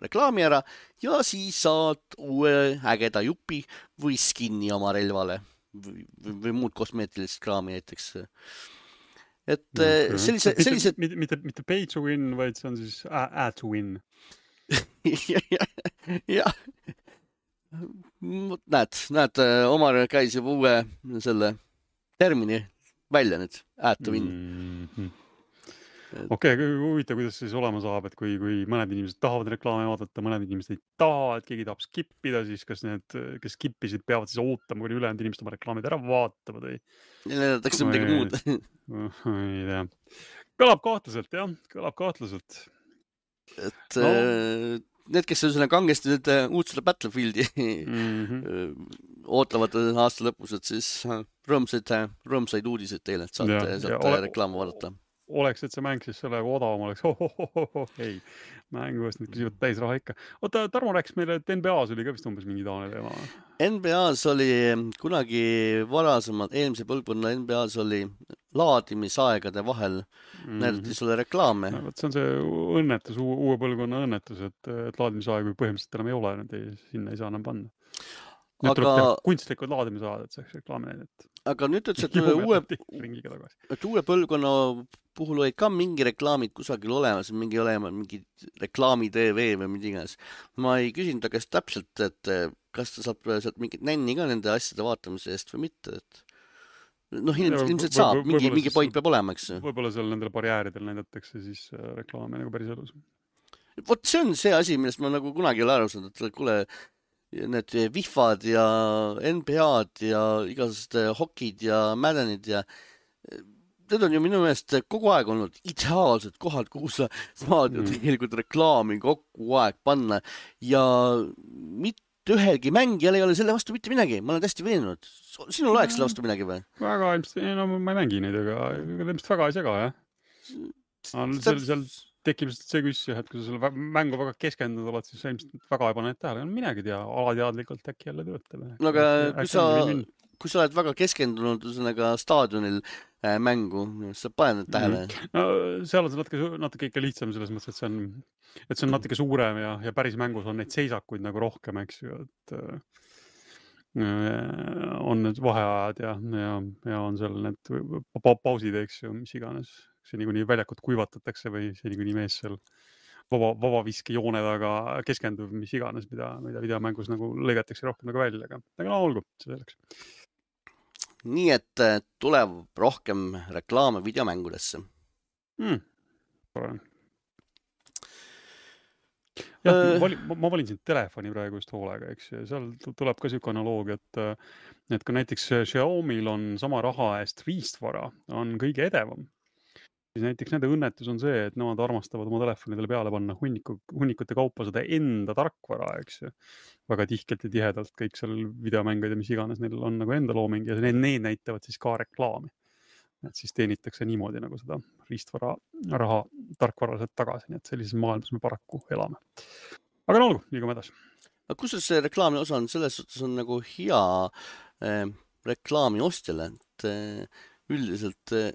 reklaami ära ja siis saad uue ägeda jupi või skinni oma relvale või, või, või muud kosmeetilist kraami näiteks. Et okay. sellise, sellised... Mitte, mitte, mitte pay to win, vaid see on siis add to win. Jah. Näed, näed, Omar käis juba uue selle termini välja nüüd, add to win. Mm-hmm. Okei, okay, huvitav, kuidas siis olema saab, et kui, kui mõned inimesed tahavad reklaame vaadata, mõned inimesed ei taha, et keegi tahab skippida, siis kas need, kes skippisid, peavad siis ootama, kui ülejäänud inimesed oma reklaamid ära vaatavad või? Näidatakse midagi muud. Ei tea. Kõlab kahtlaselt, jah, kõlab kahtlaselt. Et no. Need, kes on kangesti nüüd uut selle Battlefieldi mm-hmm. ootavad aasta lõpus, et siis rõõmsaid, rõõmsaid uudiseid teile, et saate, ja, saate ja reklaama vaadata. Oleks, et see mäng siis sellega odavam oleks. Oh, oh, oh, oh, ei, mänguvast nüüd küsivad täis raha ikka. Oota, Tarmo rääkis meile, et N B A-s oli ka vist umbes mingi taane teema. N B A-s oli kunagi varasemalt, eelmise põlvkonna N B A-s oli laadimisaegade vahel mm-hmm. näidati sulle reklaame. No, see on see õnnetus, uue põlvkonna õnnetus, et, et laadimisaegu põhimõtteliselt enam ei ole, need ei, sinna ei saa enam panna. Nüüd aga... tuleb teha kunstlikud laadimisaad, et saaks reklaami näidata. Aga nüüd ütles, et uue, et uue põlvkonna puhul olid ka mingi reklaamid kusagil olemas, mingi olema, mingi reklaami T V või mida iganes. Ma ei küsinud ta käest täpselt, et kas ta saab sealt mingit nänni ka nende asjade vaatamise eest või mitte, et noh, ilmselt, ilmselt saab, mingi, mingi point peab olema, eks. Võib-olla seal nendele barjääridel näidatakse siis reklaami nagu päris elus. Vot see on see asi, millest ma nagu kunagi ei ole aru saanud, et kuule, need vihvad ja N B A-d ja igasugused hokid ja Maddenid ja need on ju minu meelest kogu aeg olnud ideaalsed kohad, kuhu sa saad ju tegelikult reklaami kogu aeg panna ja mit, ühelgi mängijal ei ole selle vastu mitte midagi, ma olen täiesti veenunud. Sinul oleks selle vastu midagi või? Väga ilmselt, no ma ei mängi neid, aga ilmselt väga ei sega, jah. Seal, seal tekib see küsimus, et kui sa selle mängu väga keskendunud oled, siis sa ilmselt väga ei pane need tähele. Minagi tea, alateadlikult äkki jälle töötame. No aga kui sa, kui sa oled väga keskendunud ühesõnaga staadionil äh, mängu, sa paned need tähele? No seal on see natuke, natuke ikka lihtsam selles mõttes, et see on, et see on natuke suurem ja, ja päris mängus on neid seisakuid nagu rohkem, eks ju, et äh, on need vaheajad ja, ja, ja on seal need pausid, eks ju, mis iganes. See niikuinii väljakut kuivatatakse või see niikuinii mees seal vaba, vaba viske joone taga keskendub, mis iganes, mida, mida videomängus nagu lõigatakse rohkem nagu välja, aga, aga no olgu, see selleks. Nii et tuleb rohkem reklaame videomängudesse. Mm. Jah, ma, valin, ma valin siin telefoni praegu just hoolega, eks. Seal tuleb ka siuke analoogia, et, et kui näiteks Xiaomi'l on sama raha eest riistvara, on kõige edevam. Siis näiteks nende õnnetus on see, et nemad armastavad oma telefonidele peale panna hunniku, hunnikute kaupa seda enda tarkvara, eks ju. Väga tihkelt ja tihedalt kõik seal videomängud ja mis iganes neil on nagu enda looming ja need, need näitavad siis ka reklaami. Et siis teenitakse niimoodi nagu seda riistvara raha tarkvaraliselt tagasi, nii et sellises maailmas me paraku elame. Aga no olgu, liigume edasi. Aga kus see reklaami osa on, selles suhtes on nagu hea eh, reklaami ostjale, et eh, üldiselt eh,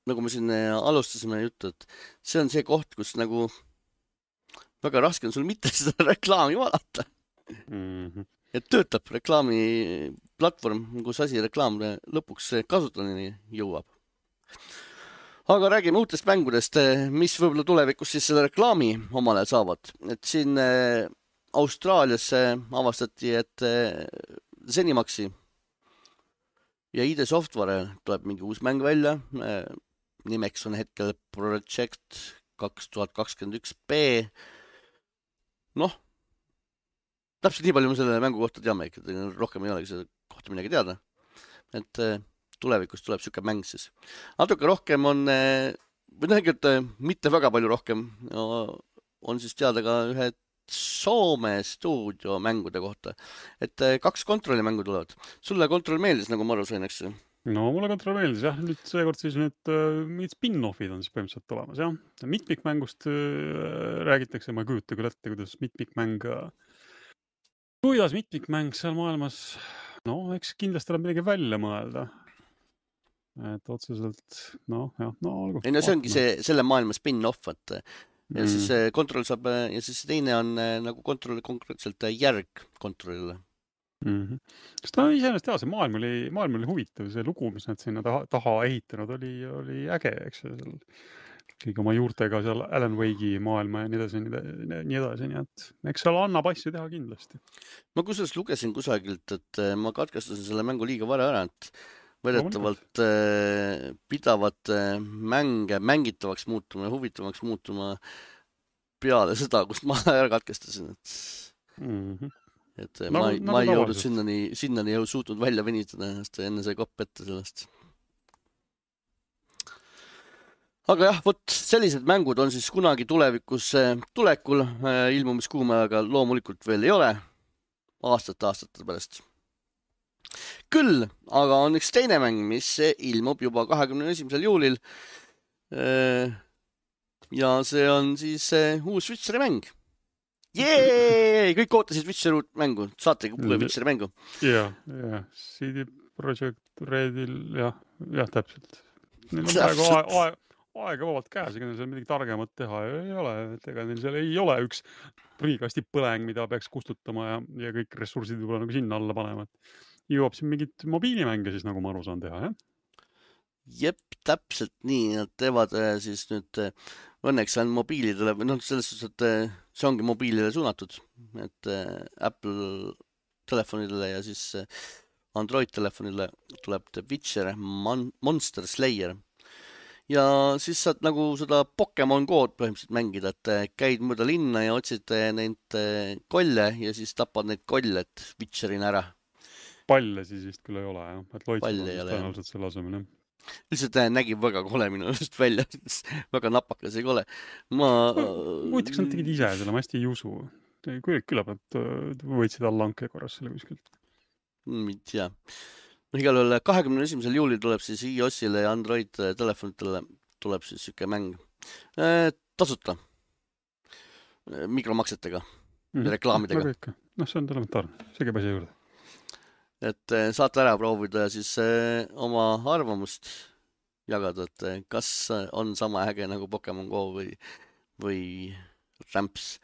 nagu me siin alustasime juttu, et see on see koht, kus nagu väga raske on sul mitte seda reklaami vaadata. Mm-hmm. Et töötab reklaami platvorm, kus asi reklaam lõpuks kasutajani jõuab. Aga räägime uutest mängudest, mis võib-olla tulevikus siis selle reklaami omale saavad. Et siin Austraalias avastati, et Zenimaxi ja I D Software tuleb mingi uus mäng välja. Nimeks on hetkel Project kaks tuhat kakskümmend üks B. Noh, täpselt nii palju me selle mängu kohta teame, et rohkem ei olegi selle kohta midagi teada. Et tulevikus tuleb siuke mäng siis. Natuke rohkem on, või tegelikult mitte väga palju rohkem, on siis teada ka ühe Soome stuudio mängude kohta. Et kaks kontrollimängu tulevad. Sulle kontroll meeldis, nagu ma aru sain, eks? No mulle kontroll meeldis, jah. Nüüd seekord siis need mingid spin-offid on siis põhimõtteliselt olemas, jah. Mitmikmängust räägitakse, ma ei kujuta küll ette, kuidas mitmikmäng, kuidas mitmikmäng seal maailmas, no eks kindlasti tuleb midagi välja mõelda. Et otseselt, no jah, no olgu. Ei, no see ongi see, selle maailma spin-off, et ja mm. siis kontroll saab, ja siis teine on nagu kontrolli konkreetselt järg kontrollile. Mm-hmm. Sest ta iseenesest jah, see maailm oli, maailm oli huvitav, see lugu, mis nad sinna taha, taha ehitanud, oli, oli äge, eks seal kõik oma juurtega seal Alan Wake'i maailma ja nii edasi, nii edasi, nii et eks seal annab asju teha kindlasti. Ma kusjuures lugesin kusagilt, et ma katkestasin selle mängu liiga vara ära, et vedetavalt äh, pidavad äh, mänge mängitavaks muutuma ja huvitavaks muutuma peale seda, kust ma ära katkestasin. Et, mm-hmm. et no, ma, no, ma ei jõudnud sinnani, sinnani ei suutnud välja venitada ennast ja enne sai kopp ette sellest. Aga jah, võt sellised mängud on siis kunagi tulevikus äh, tulekul, äh, ilmumiskuumäega loomulikult veel ei ole, aastate aastate pärast. Küll, aga on üks teine mäng, mis ilmub juba kahekümne esimesel juulil. Ja see on siis uus Witcheri mäng. Jee! Kõik ootasid Witcheri mängu. Saate kuule Witcheri mängu? Jah, jah. C D Projekt Redil, jah, jah, täpselt. Neil on praegu aeg, aeg, aega vabalt käes, ega neil seal midagi targemat teha ei ole. Et ega neil seal ei ole üks prügikasti põleng, mida peaks kustutama ja, ja kõik ressursid võib-olla nagu sinna alla panema. Jõuab siin mingit mobiilimänge siis, nagu ma aru saan teha, jah? Jep, täpselt nii. Nad teevad siis nüüd, õnneks on mobiilidele, või noh, selles suhtes, et see ongi mobiilile suunatud. Et Apple telefonidele ja siis Android telefonile tuleb The Witcher Mon- Monster Slayer. Ja siis saad nagu seda Pokemon Go'd põhimõtteliselt mängida, et käid mõõda linna ja otsid neid kolle ja siis tapad neid kolle, et Witcherina ära. Palle siis vist küll ei ole, jah. Et loitsid on tõenäoliselt selle asemel, jah. Lihtsalt nägi väga kole minu just välja. Väga napakas ei kole. Ma... Muiteks nad tegid ise selle, ma hästi ei usu. küll, küllap nad võitsid allahanke korras selle kuskilt. Ei tea. Igal juhul kahekümne esimesel juulil tuleb siis iOS-ile ja Android telefonitele tuleb siis siuke mäng tasuta mikromaksetega mm, ja reklaamidega. Noh, see on elementaarne, see käib asja juurde. Et saate ära proovida ja siis oma arvamust jagada, et kas on sama äge nagu Pokemon Go või, või Ramps.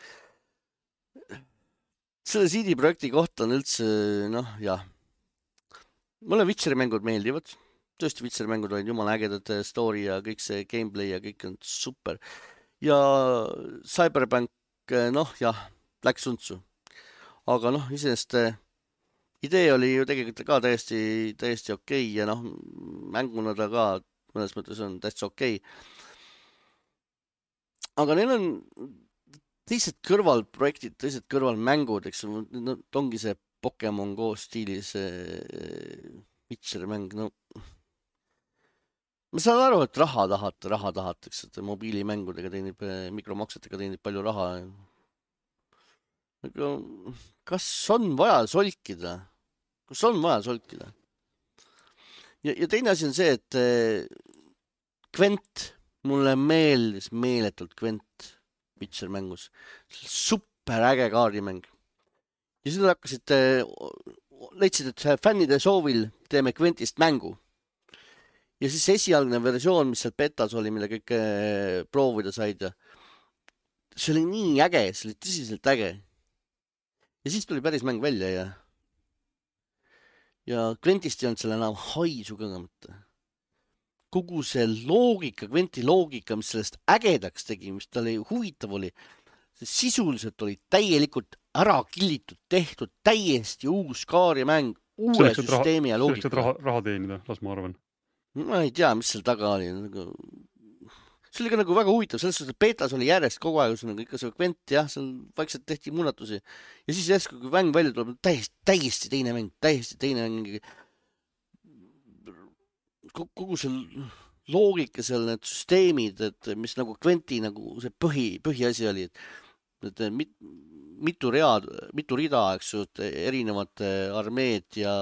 Selle C D projekti kohta on üldse, noh, jah. Mulle Witcheri mängud meeldivad. Tõesti Witcheri mängud olid jumala ägedad, story ja kõik see gameplay ja kõik on super. Ja Cyberpunk, noh, jah, läks untsu. Aga noh, iseenesest idee oli ju tegelikult ka täiesti, täiesti okei ja noh, mänguna ta ka mõnes mõttes on täiesti okei. Aga neil on teised kõrvalprojektid, teised kõrvalmängud, eks no, ongi see Pokemon Go stiilis Witcheri mäng, no ma saan aru, et raha tahate, raha tahate, eks, et mobiilimängudega teenib, mikromaksetega teenib palju raha. Aga kas on vaja solkida? Kas on vaja solkida? Ja, ja teine asi on see, et Gwent, mulle meeldis meeletult Gwent Witcher mängus. Super äge kaardimäng. Ja siis nad hakkasid, leidsid, et fännide soovil teeme Gwentist mängu. Ja siis esialgne versioon, mis seal betas oli, mille kõik proovida said. See oli nii äge, see oli tõsiselt äge. Ja siis tuli päris mäng välja ja ja Gwentist ei olnud selle enam haisu kõngamata. Kogu see loogika, Gwenti loogika, mis sellest ägedaks tegi, mis tal huvitav oli, see sisuliselt oli täielikult ära killitud, tehtud täiesti uus kaarimäng, uue selleks, süsteemi raha, ja loogika. Selleks, et raha, raha teenida, las ma arvan. Ma ei tea, mis seal taga oli. See oli ka nagu väga huvitav, selles suhtes, et betas oli järjest kogu aeg, nagu ikka see Gwent, jah, seal vaikselt tehti muudatusi. Ja siis järsku, kui mäng välja tuleb, täiesti, täiesti teine mäng, täiesti teine mäng. Kogu see loogika seal, need süsteemid, et mis nagu Gwenti nagu see põhi, põhiasi oli, et, et mit, mitu read, mitu rida, eks ju, erinevad armeed ja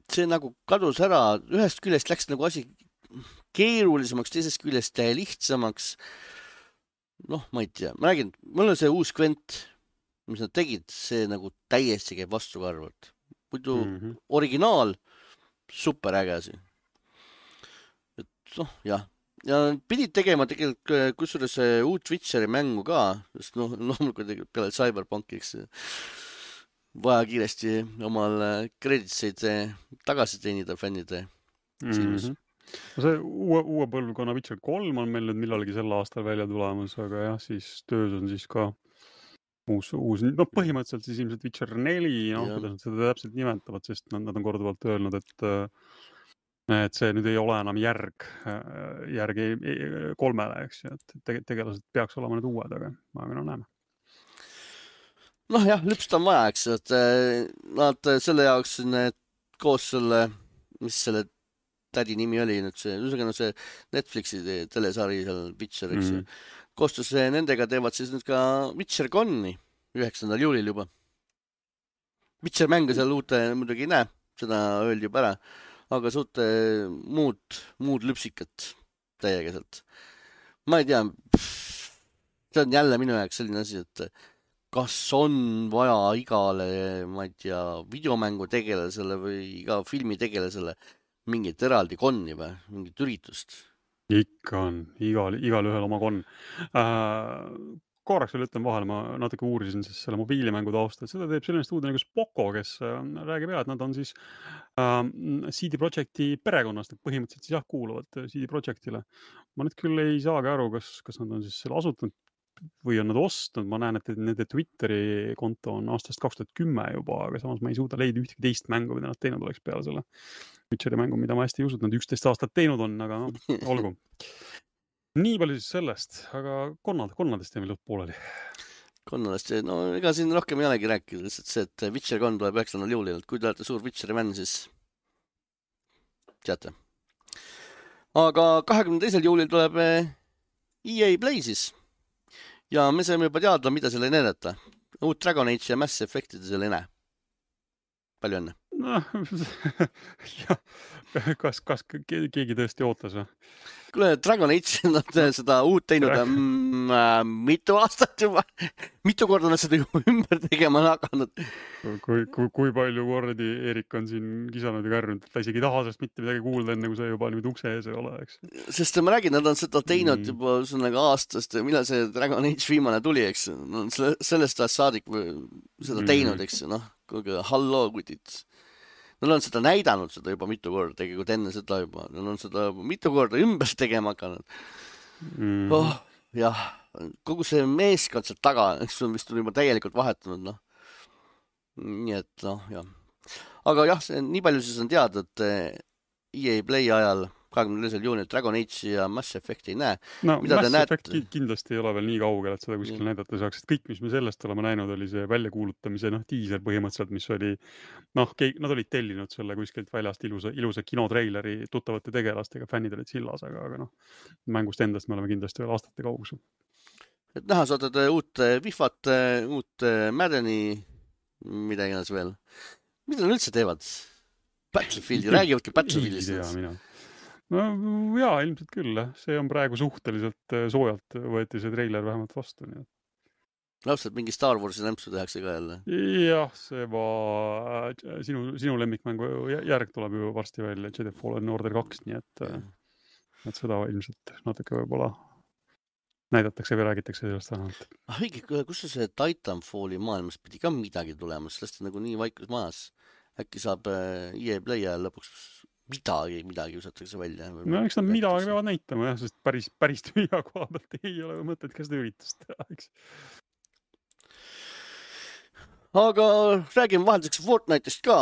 see nagu kadus ära, ühest küljest läks nagu asi keerulisemaks, teisest küljest lihtsamaks. Noh, ma ei tea, ma räägin, mul on see uus Gwent, mis nad tegid, see nagu täiesti käib vastukarvalt. Muidu mm-hmm. originaal, super äge asi. Et noh, jah. Ja pidid tegema tegelikult kusjuures uut Witcheri mängu ka, sest noh, loomulikult peale Cyberpunkiks vaja kiiresti omal kreditseid tagasi teenida fännide silmis. Mm-hmm. No see uue, uue põlvkonna Witcher kolm on meil nüüd millalgi sel aastal välja tulemas, aga jah, siis töös on siis ka uus, uus no põhimõtteliselt siis ilmselt Witcher neli, no, kuidas nad seda täpselt nimetavad, sest nad, nad on korduvalt öelnud, et et see nüüd ei ole enam järg, järg kolmele, eks ju, et tegelased peaks olema need uued, aga, aga no näeme. Noh jah, lüpst on vaja, eks, et nad selle jaoks need, koos selle, mis selle tädi nimi oli nüüd see, üsega no see Netflixi telesari seal Witcher, eks ju. Mm. Koostus nendega teevad siis nüüd ka Witcher Conni üheksandal juulil juba. Witcher mänge seal uute muidugi ei näe, seda öeldi juba ära. Aga suute muud, muud lüpsikat täiegeselt. Ma ei tea, see on jälle minu jaoks selline asi, et kas on vaja igale, ma ei tea, videomängu tegelasele või iga filmi tegelasele mingit eraldi konni või mingit üritust? Ikka on, igal, igal ühel oma konn. Äh, korraks veel ütlen vahele, ma natuke uurisin siis selle mobiilimängu tausta, et seda teeb selline stuudio nagu Spoko, kes räägib jah, et nad on siis äh, C D Projekti perekonnast, et põhimõtteliselt siis jah, kuuluvad C D Projektile. Ma nüüd küll ei saagi aru, kas, kas nad on siis selle asutanud või on nad ostnud, ma näen, et nende Twitteri konto on aastast kaks tuhat kümme juba, aga samas ma ei suuda leida ühtegi teist mängu, mida nad teinud oleks peale selle Witcheri mängu, mida ma hästi ei usu, et nad üksteist aastat teinud on, aga no, olgu. Nii palju siis sellest, aga konnad, konnadest jäime lõpp pooleli. Konnadest, no ega siin rohkem ei olegi rääkida, lihtsalt see, et Witcher konn tuleb üheksandal juulil, et kui te olete suur Witcheri fänn, siis teate. Aga kahekümne teisel juulil tuleb E A Play siis. Ja me saime juba teada, mida selle näidata. uut Dragon Age ja Mass Effect'i seal ei näe. Palju õnne. Noh, jah, kas, kas keegi tõesti ootas või? Kuule, Dragon Age nad no. seda uut teinud mm, äh, mitu aastat juba. Mitu korda nad seda juba ümber tegema on hakanud. Kui, kui, kui palju kordi Erik on siin kisanud ja kärnud, et ta isegi ei taha sellest mitte midagi kuulda, enne kui see juba nüüd ukse ees ei ole, eks? Sest ma räägin, nad on seda teinud mm. juba nagu aastast, millal see Dragon Age viimane tuli, eks? No, sellest ajast saadik seda teinud, eks? Noh, kuulge, halloo, kutid. Nad on seda näidanud seda juba mitu korda, tegelikult enne seda juba. Nad on seda mitu korda ümber tegema hakanud. Mm. Oh, jah, kogu see meeskond sealt taga, eks on vist juba täielikult vahetunud, noh. Nii et, noh, jah. Aga jah, see, nii palju siis on teada, et E A Play ajal kahekümne teisel juunil Dragon Age ja Mass Effect ei näe. No Mida Mass Effect näed... kindlasti ei ole veel nii kaugel, et seda kuskil ja. näidata saaks. Et kõik, mis me sellest oleme näinud, oli see väljakuulutamise noh, teaser põhimõtteliselt, mis oli, noh, nad olid tellinud selle kuskilt väljast ilusa, ilusa kinotreileri tuttavate tegelastega, fännid olid sillas, aga, aga noh, mängust endast me oleme kindlasti veel aastate kaugusel. Et näha saadad uut Wifat, uut Maddeni, mida iganes veel. Mida nad üldse teevad? Battlefieldi, räägivadki Battlefieldist. No jaa, ilmselt küll. See on praegu suhteliselt soojalt võeti see treiler vähemalt vastu. Nii. Lapselt mingi Star Warsi nämpsu tehakse ka jälle. Jah, see va... sinu, sinu lemmikmängu järg tuleb ju varsti välja, Jedi Fallen Order kaks, nii et, et seda ilmselt natuke võib-olla näidatakse või räägitakse sellest vähemalt. Ah, õige, kus see Titanfalli maailmas pidi ka midagi tulemas, sellest on nagu nii vaikus maas. Äkki saab E A Play ajal lõpuks midagi, midagi usatakse välja. No eks nad midagi peavad näitama, jah, sest päris, päris tühja koha pealt ei ole mõtet ka seda üritust teha, eks. Aga räägime vahelduseks Fortnite'ist ka.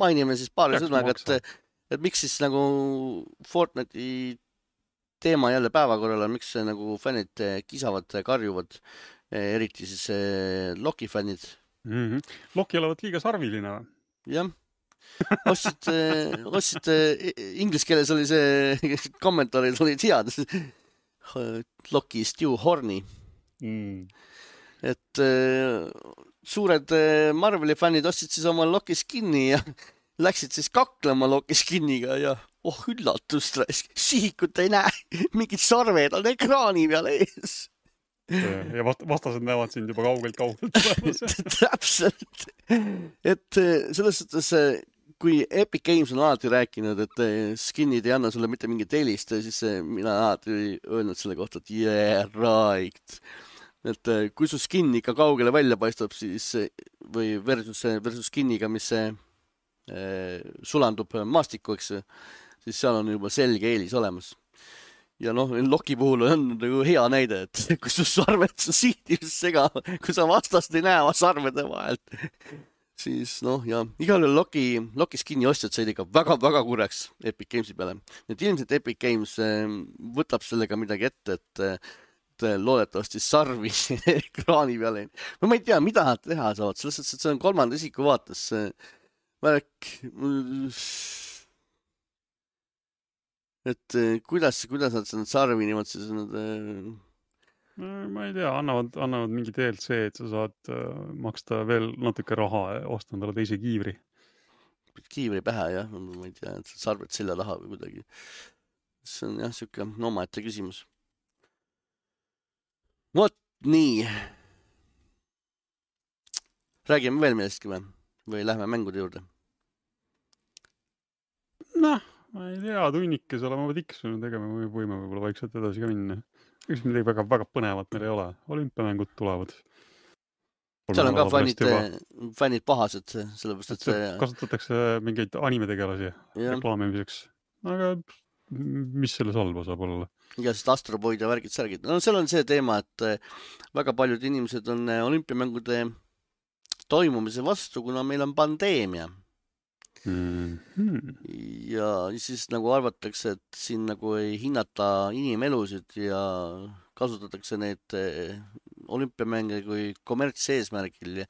Mainime siis paari sõnaga, et, et miks siis nagu Fortnite'i teema jälle päevakorral on, miks nagu fännid kisavad, karjuvad, eriti siis Loki fännid. Mm-hmm. Loki olevat liiga sarviline või? Jah. Ostsid, ostsid, inglis keeles oli see kommentaarid olid head. Loki Stu Horny. Mm. Et suured Marveli fännid ostsid siis oma Loki skinni ja läksid siis kaklema Loki skinniga ja oh üllatust, sihikut ei näe, mingid sarved on ekraani peal ees. Ja vastased näevad sind juba kaugelt-kaugelt tulemas. Täpselt. Et selles suhtes, kui Epic Games on alati rääkinud, et skinnid ei anna sulle mitte mingit helist, siis mina alati öelnud selle kohta, et yeah, right. Et kui su skin ikka kaugele välja paistab, siis või versus, versus skinniga, mis see, eh, sulandub maastiku, eks, siis seal on juba selge eelis olemas. Ja noh, Loki puhul on nagu hea näide, et kui su sarved su sihtivist sega, kui sa vastast ei näe sarvede vahelt, siis noh, ja igal juhul Loki, Loki skinni ostjad said ikka väga-väga kureks Epic Gamesi peale. Et ilmselt Epic Games võtab sellega midagi ette, et, et loodetavasti sarvi ekraani peale. Ma ei tea, mida nad teha saavad, selles, et see on kolmanda isiku vaates. Värk... Et kuidas, kuidas nad seda sarvi niimoodi siis nad... Ma ei tea, annavad, annavad mingi D L C, et sa saad maksta veel natuke raha ja osta endale teise kiivri. Kiivri pähe, jah. Ma ei tea, et sarved selja taha või kuidagi. See on jah, siuke omaette küsimus. Vot nii. Räägime veel millestki või? Või lähme mängude juurde? Noh. Ma ei tea, tunnikes olema tiksunud, ega me võime võib-olla vaikselt edasi ka minna. Eks midagi väga, väga põnevat meil ei ole. Olümpiamängud tulevad. Seal on ka fännid, fännid pahased, sellepärast, et see... Kasutatakse mingeid animetegelasi reklaamimiseks. Aga mis selle salva saab olla? Ja sest Astroboid ja värgid särgid. No seal on see teema, et väga paljud inimesed on olümpiamängude toimumise vastu, kuna meil on pandeemia. Mm-hmm. Ja siis nagu arvatakse, et siin nagu ei hinnata inimelusid ja kasutatakse neid olümpiamänge kui kommertseesmärgil ja,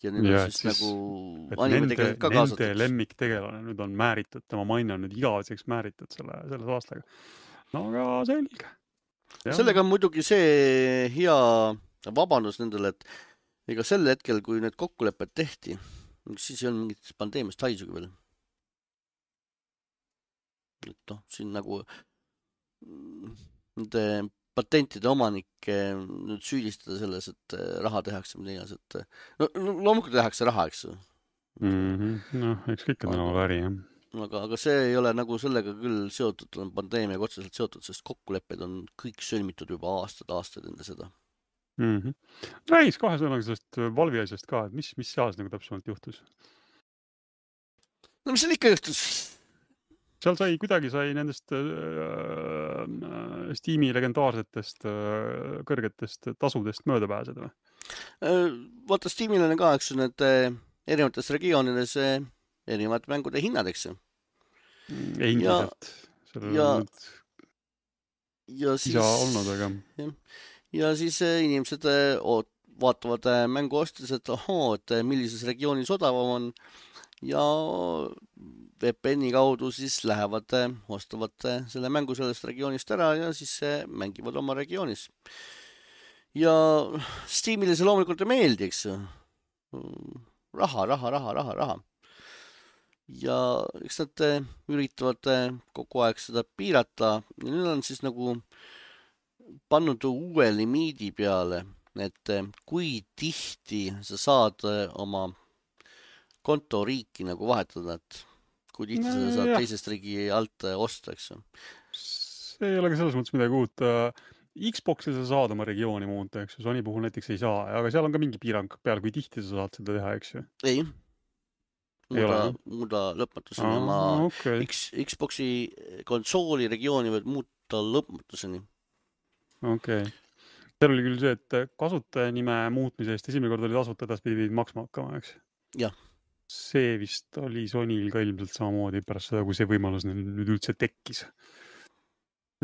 ja nüüd ja, on siis, siis nagu animetegelased ka kaasatud. Nende lemmiktegelane nüüd on määritud, tema maine on nüüd igaveseks määritud selle, selles aastaga. No aga selge. Ja. Sellega on muidugi see hea vabandus nendele, et ega sel hetkel, kui need kokkulepped tehti, siis ei olnud mingit pandeemiast haisugi veel. Et noh, siin nagu nende patentide omanikke nüüd süüdistada selles, et raha tehakse mida iganes, et no, no loomulikult tehakse raha, eks ju. Mm-hmm. noh, eks kõik on tänaval äri, jah. Aga, aga see ei ole nagu sellega küll seotud, on pandeemiaga otseselt seotud, sest kokkulepped on kõik sõlmitud juba aastad, aastad enne seda. Mm-hmm. Räägiks kahe sõnaga sellest Valvi asjast ka, et mis, mis seas nagu täpsemalt juhtus? No mis seal ikka juhtus? Seal sai, kuidagi sai nendest äh, Steam'i legendaarsetest äh, kõrgetest tasudest mööda pääseda või? Vaata, Steam'il on ka, eks ju, need erinevates regioonides erinevad mängude hinnad, eks ju. Endiselt. Ja, ja siis, isa olnud, aga... Ja, ja siis inimesed oot, vaatavad mängu ostes, et ohoo, et millises regioonis odavam on ja V P N-i kaudu siis lähevad, ostavad selle mängu sellest regioonist ära ja siis mängivad oma regioonis. Ja Steamile see loomulikult ei meeldi, eks ju. Raha, raha, raha, raha, raha. Ja eks nad üritavad kogu aeg seda piirata ja nüüd on siis nagu pannud uue limiidi peale, et kui tihti sa saad oma konto riiki nagu vahetada, et kui tihti no, sa saad jah. Teisest riigi alt osta, eks ju. See ei ole ka selles mõttes midagi uut. Xbox'il sa saad oma regiooni muuta, eks ju. Sony puhul näiteks ei saa, aga seal on ka mingi piirang peal, kui tihti sa saad seda teha, eks ju. Ei. Muuda, muuda lõpmatuseni Aa, oma okay. X, Xbox'i konsooli regiooni võid muuta lõpmatuseni. Okei. Okay. Seal oli küll see, et kasutajanime muutmise eest esimene kord oli tasuta, edaspidi pidid maksma hakkama, eks? Jah. See vist oli Sonyl ka ilmselt samamoodi pärast seda, kui see võimalus nüüd üldse tekkis.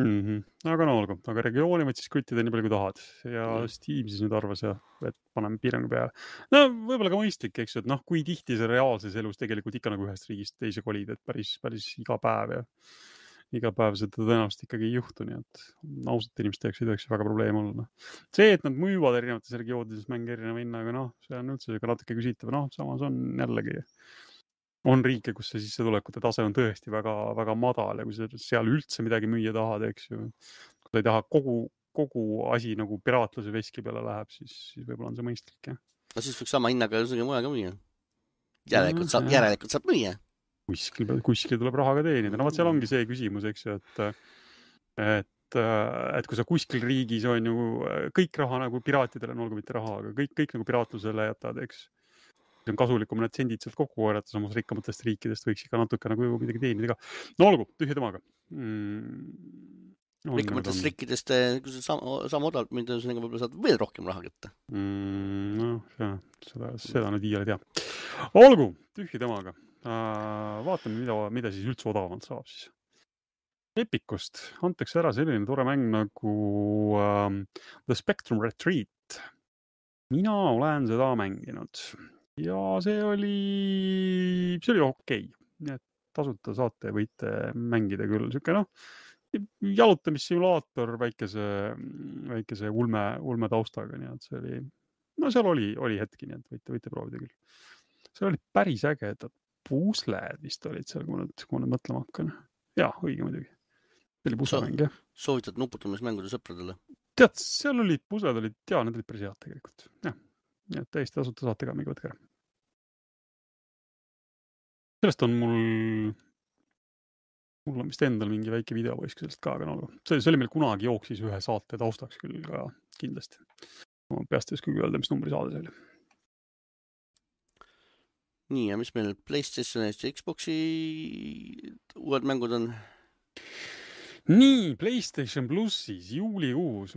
Mm-hmm. Aga no olgu, aga regiooni võid siis kuttida nii palju kui tahad ja mm. Steam siis nüüd arvas, ja, et paneme piirangu peale. No võib-olla ka mõistlik, eks ju, et noh, kui tihti see reaalses elus tegelikult ikka nagu ühest riigist teise kolid, et päris, päris iga päev ja iga päev seda tõenäoliselt ikkagi ei juhtu, nii et ausalt inimeste jaoks ei tohiks väga probleem olla. See, et nad müüvad erinevates regioonides mänge erineva hinnaga, noh, see on üldse natuke küsitav, noh, samas on jällegi on riike, kus see sissetulekute tase on tõesti väga, väga madal ja kui sa seal üldse midagi müüa tahad, eks ju, kui sa ei taha kogu, kogu asi nagu piraatluse veski peale läheb, siis, siis võib-olla on see mõistlik, jah. No siis võiks sama hinnaga üsegi muja ka müüa. Järelikult saab, järelikult saab müüa. Kuskil, kuskil tuleb raha ka teenida. No vaat seal ongi see küsimus, eks ju, et, et, et kui sa kuskil riigis on ju kõik raha nagu piraatidele, no olgu mitte raha, aga kõik, kõik nagu piraatlusele jätad, eks. See on kasulikum need sendid sealt kokku korjata, samas rikkamatest riikidest võiks ikka natuke nagu midagi teenida ka. No olgu, tühja temaga. Mm, rikkamatest riikidest, kui sa sama, sama odavalt mind, võib-olla saad veel rohkem raha kätte. Mm, no, ja, seda, seda nüüd iiale tea. Olgu, tühja temaga. Uh, vaatame, mida, mida siis üldse odavamalt saab siis. Epicust antakse ära selline tore mäng nagu um, The Spectrum Retreat. Mina olen seda mänginud. Ja see oli, see oli okei. Nii et tasuta saate võite mängida küll. Siuke noh, jalutamissimulaator väikese, väikese ulme, ulme taustaga. Nii et see oli, no seal oli, oli hetki, nii et võite, võite proovida küll. See oli päris ägedad pusled vist olid seal, kui ma nüüd, kui ma nüüd mõtlema hakkan. Jaa, õige muidugi. See oli puslemäng, jah. Soovitad nuputamismängude sõpradele? Tead, seal olid pusled, olid, jaa, need olid päris head tegelikult. Jah, nii et täiesti tasuta saate ka mingi võtke ära. Sellest on mul, mul on vist endal mingi väike videopoisk sellest ka, aga no, see, see oli meil kunagi jooksis ühe saate taustaks küll ka kindlasti. Ma peast ei oska öelda, mis numbri saade see oli. Nii, ja mis meil PlayStationist ja Xboxi uued mängud on? Nii, PlayStation plussis juulikuus.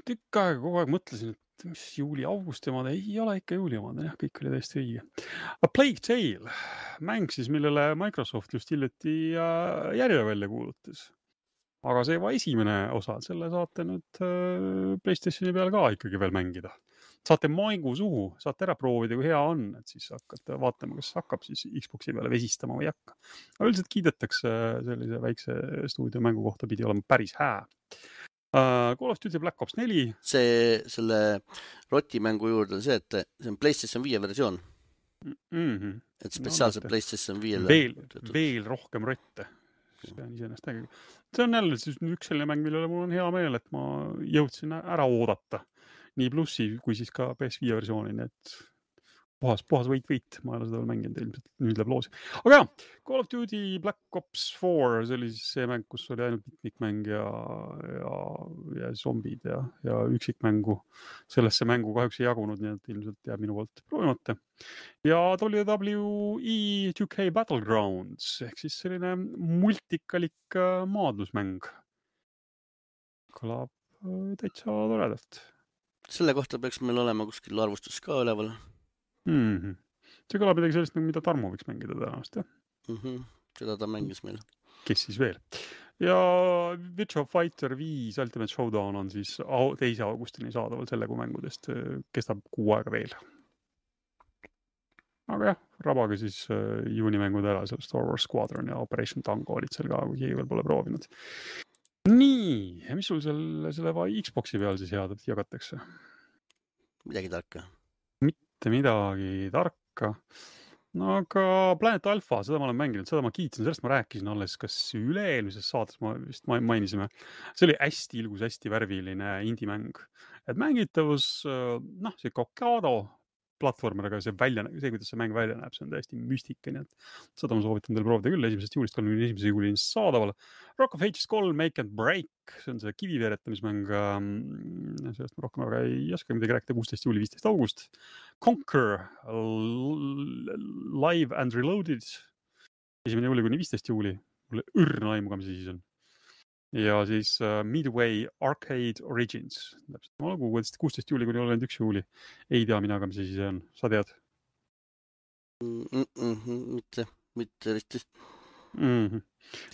Tükk aega kogu aeg mõtlesin, et mis juuli, august omad, ei ole ikka juuli omad, jah, kõik oli täiesti õige. A Plague Tale, mäng siis, millele Microsoft just hiljuti järje välja kuulutas. Aga see juba esimene osa, selle saate nüüd PlayStationi peal ka ikkagi veel mängida. Saate maigu suhu, saate ära proovida, kui hea on, et siis hakkate vaatama, kas hakkab siis Xboxi peale vesistama või hakka. Aga üldiselt kiidetakse sellise väikse stuudio mängu kohta pidi olema päris hää. Uh, Call of Duty Black Ops neli. See, selle rotimängu juurde on see, et see on PlayStation viie versioon. Mm-hmm. Et spetsiaalselt no, PlayStation viiele. Veel, veel rohkem rotte. Pean iseenesest äge. See on jälle siis üks selline mäng, millele mul on hea meel, et ma jõudsin ära oodata. Nii plussi kui siis ka P S viie versiooni, nii et puhas, puhas võit, võit. Ma ei ole seda veel mänginud, ilmselt nüüd läheb loosi. Aga jah, Call of Duty Black Ops four, see oli siis see mäng, kus oli ainult mitmikmäng ja, ja, ja zombid ja, ja üksikmängu. Sellesse mängu kahjuks ei jagunud, nii et ilmselt jääb minu poolt proovimata. Ja W W E two K Battlegrounds, ehk siis selline multikalik maadlusmäng. Kõlab täitsa toredalt. Selle kohta peaks meil olema kuskil arvustus ka üleval. Mm-hmm. See kõlab midagi sellist, mida Tarmo võiks mängida tänast, jah? Mm-hmm. Seda ta mängis meil. Kes siis veel? Ja Virtua Fighter viis Ultimate Showdown on siis teise augustini saadaval selle kui mängudest. Kestab kuu aega veel. Aga jah, rabage siis juunimängud ära, seal Star Wars Squadron ja Operation Tango olid seal ka, kui keegi veel pole proovinud. Nii, mis sul selle, selle Xboxi peal siis head jagatakse? Midagi tarka. Mitte midagi tarka. No aga Planet Alpha, seda ma olen mänginud, seda ma kiitsin, sellest ma rääkisin alles, kas üle-eelmises saates ma vist mainisime. See oli hästi ilgus, hästi värviline indie-mäng. Et mängitavus, noh, see Kokado platvormer, aga see, välja, see, kuidas see mäng välja näeb, see on täiesti müstika, nii et seda ma soovitan teil proovida küll, esimesest juulist kolmekümne esimese juulini saadaval. Rock of Ages kolm, Make and Break, see on see kiviveeretamismäng, sellest ma rohkem aga ei oska midagi rääkida, kuusteist juuli, viisteist august. Conquer, Live and Reloaded, esimene juuli kuni viisteist juuli, mulle õrna aimu, mis siis on. Ja siis uh, Midway Arcade Origins. Ma nagu kuusteist juuli kuni kolmkümmend üks juuli. Ei tea mina ka, mis see siis on. Sa tead? Mm -mm, mitte, mitte risti. Mm -hmm.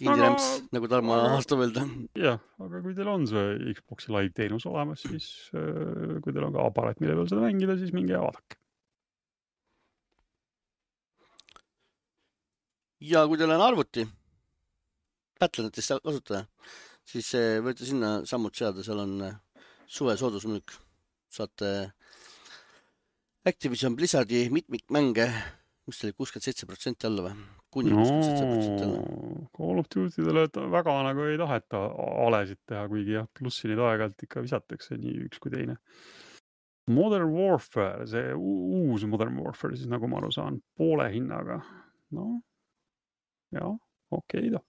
Indie-rämps, aga... nagu Tarmo aastab öelda. Jah, aga kui teil on see Xboxi live teenus olemas, siis uh, kui teil on ka aparaat, mille peal seda mängida, siis minge ja vaadake. Ja kui teil on arvuti, Battlenetist kasutaja, siis võite sinna sammud seada, seal on suve soodusmüük. Saate Activision Blizzardi mitmikmänge, mis oli kuuskümmend seitse protsenti alla või? Kuni kuuskümmend seitse protsenti alla. Call of Duty'dele väga nagu ei taheta alesid teha, kuigi jah, plussi neid aeg-ajalt ikka visatakse nii üks kui teine. Modern Warfare, see uus Modern Warfare, siis nagu ma aru saan, poole hinnaga. No, jah, okei ta.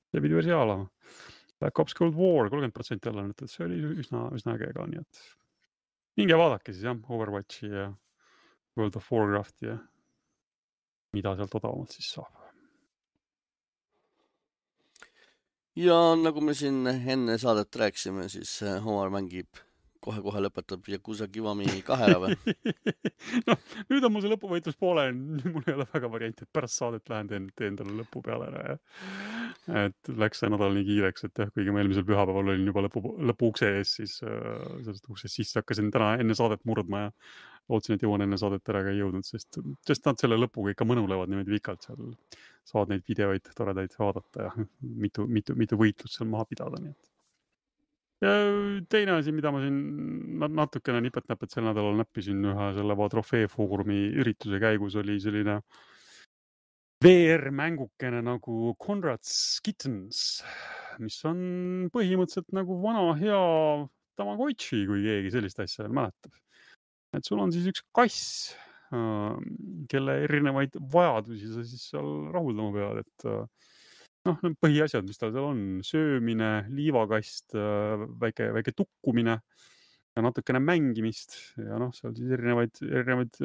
See pidi versi alama. Black Ops Cold War, kolmkümmend protsenti alla, et see oli üsna, üsna äge ka, nii et minge vaadake siis jah, Overwatchi ja World of Warcraft ja mida sealt odavamalt siis saab. Ja nagu me siin enne saadet rääkisime, siis Omar mängib kohe-kohe lõpetab Yakuza Kiwami kahe ära või? No, nüüd on mul see lõpuvõitlus poole, mul ei ole väga varianti, et pärast saadet lähen teen, teen talle lõpu peale ära ja et läks see nädal nii kiireks, et jah, kuigi ma eelmisel pühapäeval olin juba lõpu, lõpu ukse ees, siis äh, sellest uksest sisse hakkasin täna enne saadet murdma ja lootsin, et jõuan enne saadet ära, aga ei jõudnud, sest, sest nad selle lõpuga ikka mõnulevad niimoodi pikalt seal, saad neid videoid toredaid vaadata ja mitu, mitu, mitu võitlust seal maha pidada, nii et ja teine asi, mida ma siin natukene nipet-näpet sel nädalal näppisin ühe selle trofeefoorumi ürituse käigus, oli selline V R-mängukene nagu Conrad's Kittens, mis on põhimõtteliselt nagu vana hea Tamagotchi, kui keegi sellist asja veel mäletab. Et sul on siis üks kass, kelle erinevaid vajadusi sa siis seal rahuldama pead, et noh, põhiasjad, mis tal seal on, söömine, liivakast, väike, väike tukkumine ja natukene mängimist ja noh, seal siis erinevaid, erinevaid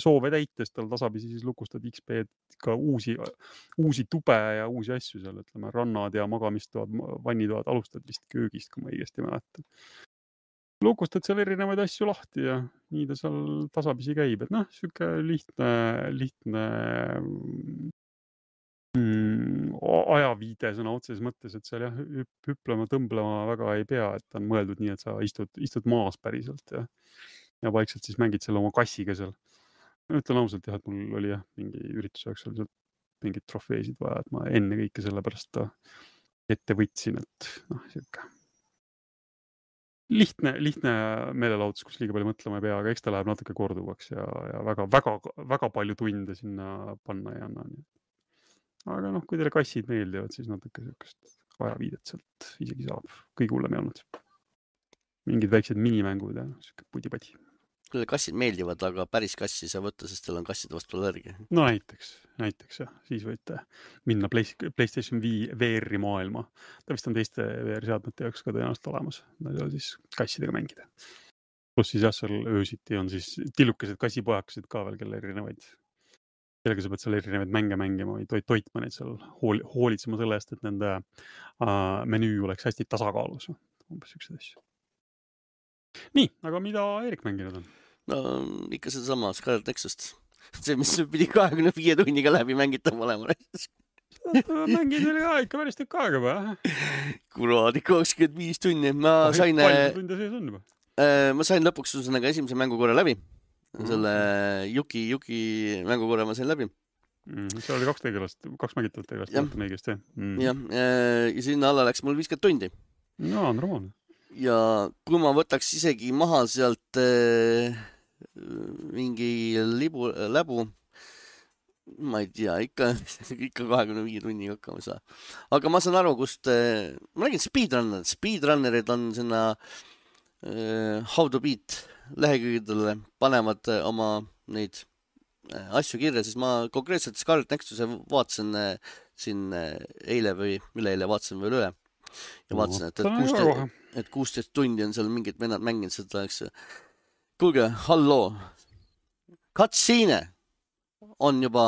soove täitest tal tasapisi siis lukustad X P-d ka uusi, uusi tube ja uusi asju seal, ütleme, rannad ja magamistoad, vannitoad, alustad vist köögist, kui ma õigesti mäletan. Lukustad seal erinevaid asju lahti ja nii ta seal tasapisi käib, et noh, siuke lihtne, lihtne Mm, ajaviide sõna otseses mõttes, et seal jah, hüplema, tõmblema väga ei pea, et on mõeldud nii, et sa istud, istud maas päriselt ja, ja vaikselt siis mängid selle oma kassiga seal. Ütlen ausalt jah, et mul oli jah, mingi ürituse jaoks oli mingid trofeesid vaja, et ma enne kõike selle pärast ette võtsin, et noh, siuke lihtne, lihtne meelelahutus, kus liiga palju mõtlema ei pea, aga eks ta läheb natuke korduvaks ja, ja väga, väga, väga palju tunde sinna panna ei anna. Aga noh, kui teile kassid meeldivad, siis natuke sellist ajaviidet sealt isegi saab. Kõige hullem ei olnud. Mingid väiksed minimängud ja siuke pudi-padi. Kui kassid meeldivad, aga päris kassi sa võtta, sest teil on kasside vastu allergia. No näiteks, näiteks jah. Siis võite minna PlayStation V R-i maailma. Ta vist on teiste V R-seadmete jaoks ka tõenäoliselt olemas. Nad ei ole siis kassidega mängida. Plus siis jah, seal öösiti on siis tillukesed kassipojakesed ka veel, kelle erinevaid. Sellega sa pead seal erinevaid mänge mängima või toit, toitma neid seal hool, hoolitsema selle eest, et nende uh, menüü oleks hästi tasakaalus. Umbes üks asju. Nii, aga mida Erik mänginud on? No ikka seda sama Scarlet Nexust. See, mis pidi kahekümne viie tunniga läbi mängitav olema. Mängid veel ka ikka päris tükk aega või? Kuraadi, kakskümmend viis tunni. Ma oh, sain, tunde sees on juba? Ma sain lõpuks esimese mängukorra läbi. Selle Yuki, Yuki mängukorra ma sain läbi. Mm, see oli kaks tegelast, kaks mängitavat tegelast. Ja, õigesti, mm. ja, ja sinna alla läks mul viiskümmend tundi. No, on romaane. Ja kui ma võtaks isegi maha sealt äh, mingi libu, läbu, ma ei tea, ikka, ikka kahekümne viie tunniga hakkama saa. Aga ma saan aru, kust, äh, ma räägin speedrunnerid, speedrunnerid on sinna äh, How to Beat lehekülgedele, panevad äh, oma neid äh, asju kirja, siis ma konkreetselt Scarlet Nexuse vaatasin äh, siin äh, eile või üleeile vaatasin veel üle. Ja vaatasin, et, et, kuusteist, et kuusteist tundi on seal mingid vennad mänginud seda, eks. Kuulge, halloo. Cutscene on juba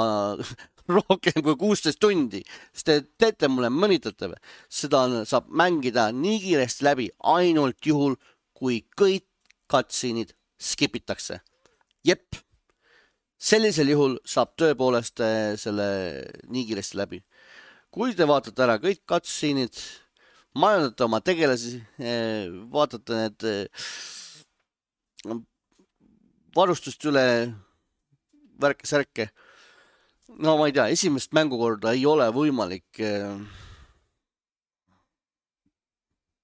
rohkem kui kuusteist tundi. Sest te teete mulle mõnitate või? Seda on, saab mängida nii kiiresti läbi ainult juhul, kui kõik cutscene'id skipitakse. Jep. Sellisel juhul saab tõepoolest selle nii kiiresti läbi. Kui te vaatate ära kõik cutscene'id, majandate oma tegelasi, vaatate need varustust üle värke-särke. No ma ei tea, esimest mängukorda ei ole võimalik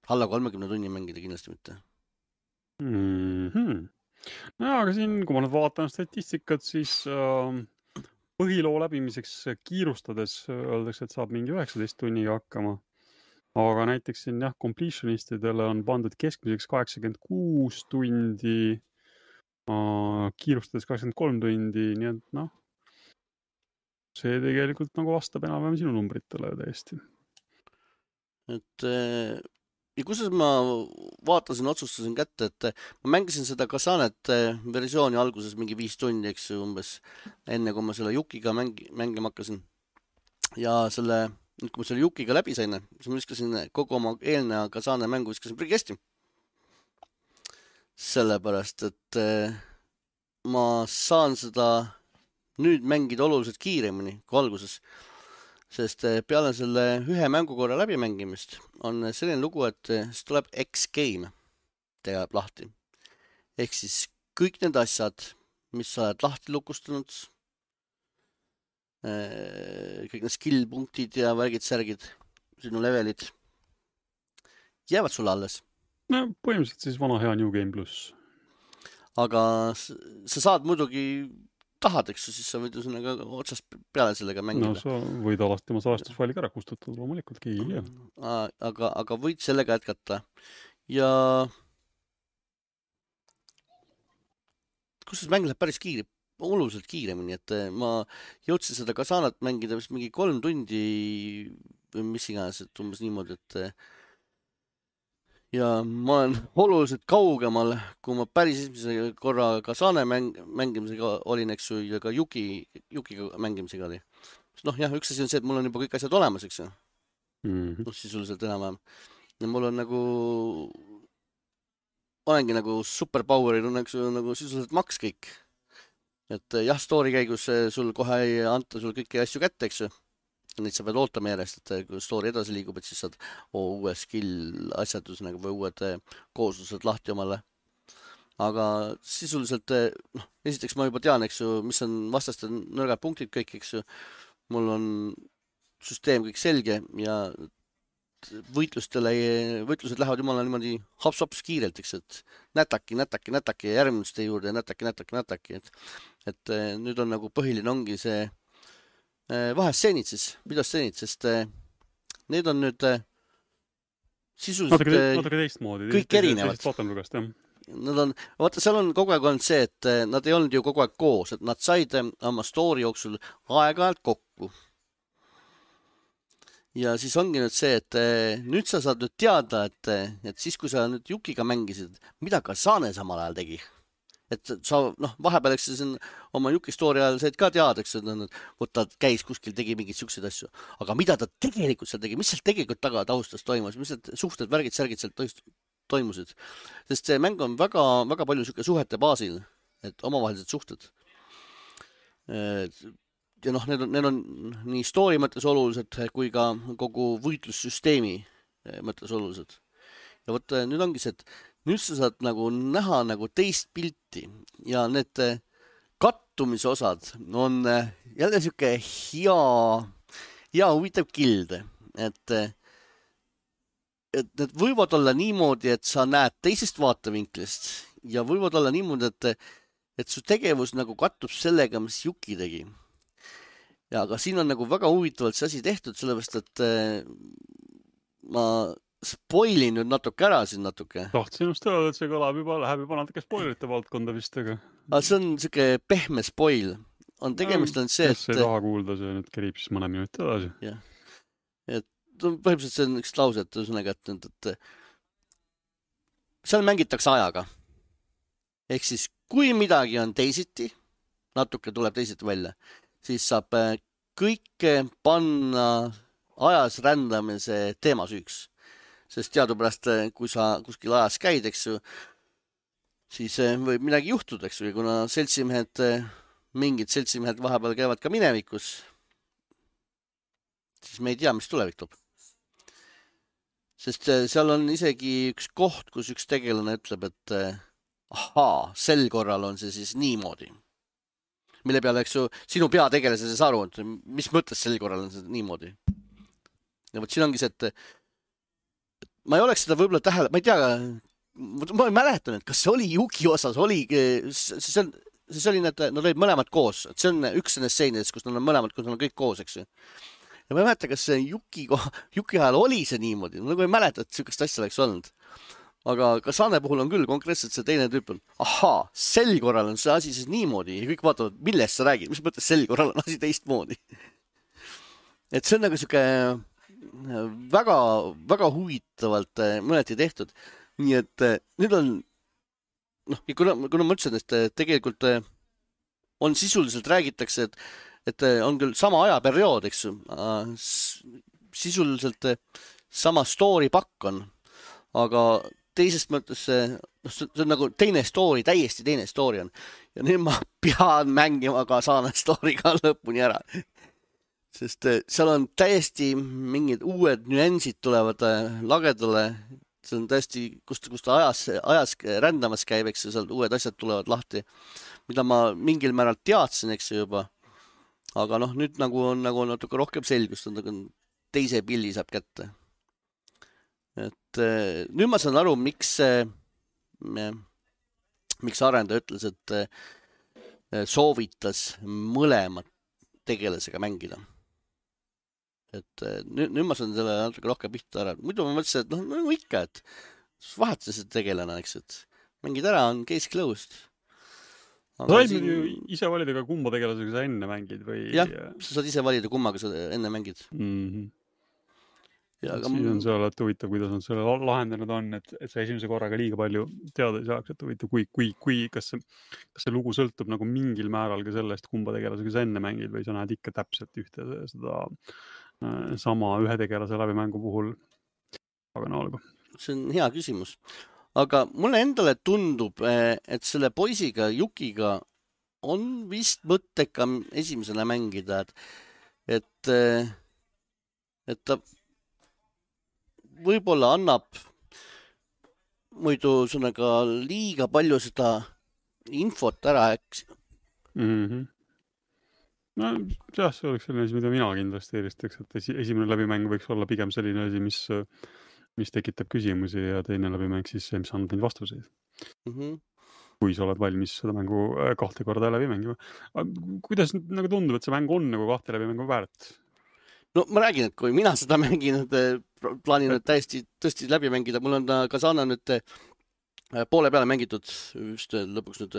alla kolmekümne tunni mängida kindlasti mitte. Mm-hmm. No aga siin, kui ma nüüd vaatan statistikat, siis äh, põhiloo läbimiseks kiirustades öeldakse, et saab mingi üheksateist tunniga hakkama. Aga näiteks siin jah, completionistidele on pandud keskmiseks kaheksakümmend kuus tundi, kiirustades kakskümmend kolm tundi, nii et noh, see tegelikult nagu vastab enam-vähem sinu numbritele täiesti. Et ja kusjuures ma vaatasin, otsustasin kätte, et ma mängisin seda Kasanet versiooni alguses mingi viis tundi, eks umbes, enne kui ma selle Yukiga mängi, mängima hakkasin. Ja selle nüüd kui ma selle Yukiga läbi sain, siis ma viskasin kogu oma eelneva Kasane mängu viskasin prigesti. Sellepärast, et ma saan seda nüüd mängida oluliselt kiiremini kui alguses. Sest peale selle ühe mängukorra läbimängimist on selline lugu, et siis tuleb X-game tegeb lahti. Ehk siis kõik need asjad, mis sa oled lahti lukustanud, kõik need skill-punktid ja värgid, särgid, sinu levelid jäävad sulle alles. No põhimõtteliselt siis vana hea New Game Plus. Aga sa saad muidugi tahad, eks, siis sa võid ju sinna otsast peale sellega mängida. No sa võid alati oma salastusfailiga ära kustutada, loomulikult keegi ei. Aga, aga võid sellega jätkata. Ja kus see mäng läheb päris kiiri, oluliselt kiiremini, et ma jõudsin seda Kasanat mängida vist mingi kolm tundi või mis iganes, et umbes niimoodi, et ja ma olen oluliselt kaugemal, kui ma päris esimese korra Kasane mäng, mängimisega olin, eks ju, ja ka Yuki, Yukiga mängimisega oli. Noh, jah, üks asi on see, et mul on juba kõik asjad olemas, eks ju. Mm-hmm. No, sisuliselt enam-vähem. Ja mul on nagu, olengi nagu superpowerid on eks ju, nagu sisuliselt maks kõik. Et jah, story käigus sul kohe ei anta sul kõiki asju kätte, eks ju. Neid sa pead ootama järjest, et kui story edasi liigub, et siis saad oh, uue skill asjadus nagu, või uued kooslused lahti omale. Aga sisuliselt, noh, esiteks ma juba tean, eks ju, mis on vastaste nõrgad punktid kõik, eks ju. Mul on süsteem kõik selge ja võitlustele, võitlused lähevad jumala niimoodi hops-hops kiirelt, eks, et nätaki, nätaki, nätaki ja järgmiste juurde, nätaki, nätaki, nätaki, et, et nüüd on nagu põhiline ongi see vahestseenid siis, videostseenid, sest need on nüüd sisuliselt natuke, natuke teistmoodi. Kõik erinevad. Vaatamlugast, jah. Nad on, vaata, seal on kogu aeg olnud see, et nad ei olnud ju kogu aeg koos, et nad said oma story jooksul aeg-ajalt kokku. Ja siis ongi nüüd see, et nüüd sa saad nüüd teada, et, et siis, kui sa nüüd Jukiga mängisid, mida ka Saane samal ajal tegi. Et sa, noh, vahepeal, eks siin oma Juki story ajal said ka teada, eks, et ta käis kuskil, tegi mingeid siukseid asju. Aga mida ta tegelikult seal tegi, mis seal tegelikult taga taustas toimus, mis need suhted, värgid, särgid seal toimusid. Sest see mäng on väga, väga palju siuke suhete baasil, et omavahelised suhted. Ja noh, need on, need on nii story mõttes olulised kui ka kogu võitlussüsteemi mõttes olulised. Ja võt, nüüd ongi see, et nüüd sa saad nagu näha nagu teist pilti ja need kattumise osad on jälle siuke hea, hea huvitav kilde, et, et need võivad olla niimoodi, et sa näed teisest vaatevinklist ja võivad olla niimoodi, et, et su tegevus nagu kattub sellega, mis Juki tegi. Ja aga siin on nagu väga huvitavalt see asi tehtud, sellepärast, et ma spoilin nüüd natuke ära siin natuke. Tahtsin just öelda, et see kõlab juba, läheb juba natuke spoilerite valdkonda vist, aga... aga see on siuke pehme spoil. On tegemist on see, et... Kes ei taha kuulda, see nüüd kerib siis mõne minuti edasi. Jah. Et põhimõtteliselt see on üks lause, et ühesõnaga, et, et seal mängitakse ajaga. Ehk siis, kui midagi on teisiti, natuke tuleb teisiti välja, siis saab kõike panna ajas rändamise teema süüks. Sest teadupärast, kui sa kuskil ajas käid, eks ju, siis võib midagi juhtuda, eks ju, kuna seltsimehed, mingid seltsimehed vahepeal käivad ka minevikus, siis me ei tea, mis tulevik toob. Sest seal on isegi üks koht, kus üks tegelane ütleb, et ahaa, sel korral on see siis niimoodi. Mille peale, eks ju, sinu peategelase see saru, et mis mõttes sel korral on see niimoodi. Ja võt siin ongi see, et ma ei oleks seda võib-olla tähele, ma ei tea, ma ei mäletan, et kas see oli Juki osas, oli, see, on, see oli need, nad olid mõlemad koos, et see on üks nendest seenidest, kus nad on mõlemad, kus nad on kõik koos, eks ju. Ja ma ei mäleta, kas see Juki, Juki ajal oli see niimoodi, nagu ei mäleta, et siukest asja oleks olnud. Aga ka Saane puhul on küll konkreetselt see teine tüüp on, ahaa, sel korral on see asi siis niimoodi ja kõik vaatavad, millest sa räägid, mis mõttes sel korral on asi teistmoodi. Et see on nagu siuke väga, väga huvitavalt mõneti tehtud. Nii et nüüd on, noh, kuna, kuna ma ütlesin, et tegelikult on sisuliselt räägitakse, et, et on küll sama ajaperiood, eks ju, sisuliselt sama story pakk on, aga teisest mõttes see, no see on nagu teine story, täiesti teine story on. Ja nüüd ma pean mängima ka Saane story ka lõpuni ära. Sest seal on täiesti mingid uued nüansid tulevad lagedale. See on täiesti, kust, kust ajas, ajas rändamas käib, eks seal uued asjad tulevad lahti, mida ma mingil määral teadsin, eks juba. Aga noh, nüüd nagu on nagu natuke rohkem selgust, on nagu teise pilli saab kätte. Et nüüd ma saan aru, miks, miks arendaja ütles, et soovitas mõlemat tegelasega mängida. Et nüüd, nüüd ma saan selle natuke rohkem pihta ära. Muidu ma mõtlesin, et noh, no ikka, et vahetada see tegelane, eks, et mängid ära, on case closed. Sa said siin... ju ise valida ka kumba tegelasega sa enne mängid või... Jah, sa saad ise valida kummaga sa enne mängid. Mhm. Ja, aga... Siis on see alati huvitav, kuidas on selle lahendanud on, et, et sa esimese korraga liiga palju teada ei saaks, et huvitav, kui, kui, kui kas, see, kas see lugu sõltub nagu mingil määral ka sellest, kumba tegelasega sa enne mängid või sa näed ikka täpselt ühte seda äh, sama ühe tegelase läbimängu puhul. Aga no olgu. See on hea küsimus. Aga mulle endale tundub, et selle poisiga, Jukiga on vist mõtteka esimesena mängida, et, et, et ta võib-olla annab muidu sõnaga liiga palju seda infot ära, eks. Mm-hmm. no jah, see oleks selline asi, mida mina kindlasti eelistaks, et esi, esimene läbimäng võiks olla pigem selline asi, mis, mis tekitab küsimusi ja teine läbimäng siis see, mis annab neid vastuseid. Mm-hmm. Kui sa oled valmis seda mängu kahte korda läbi mängima. Kuidas nagu tundub, et see mäng on nagu kahte läbi mängu väärt? No ma räägin, et kui mina seda mängin, plaanin nüüd täiesti tõesti läbi mängida, mul on ka saana nüüd poole peale mängitud just lõpuks nüüd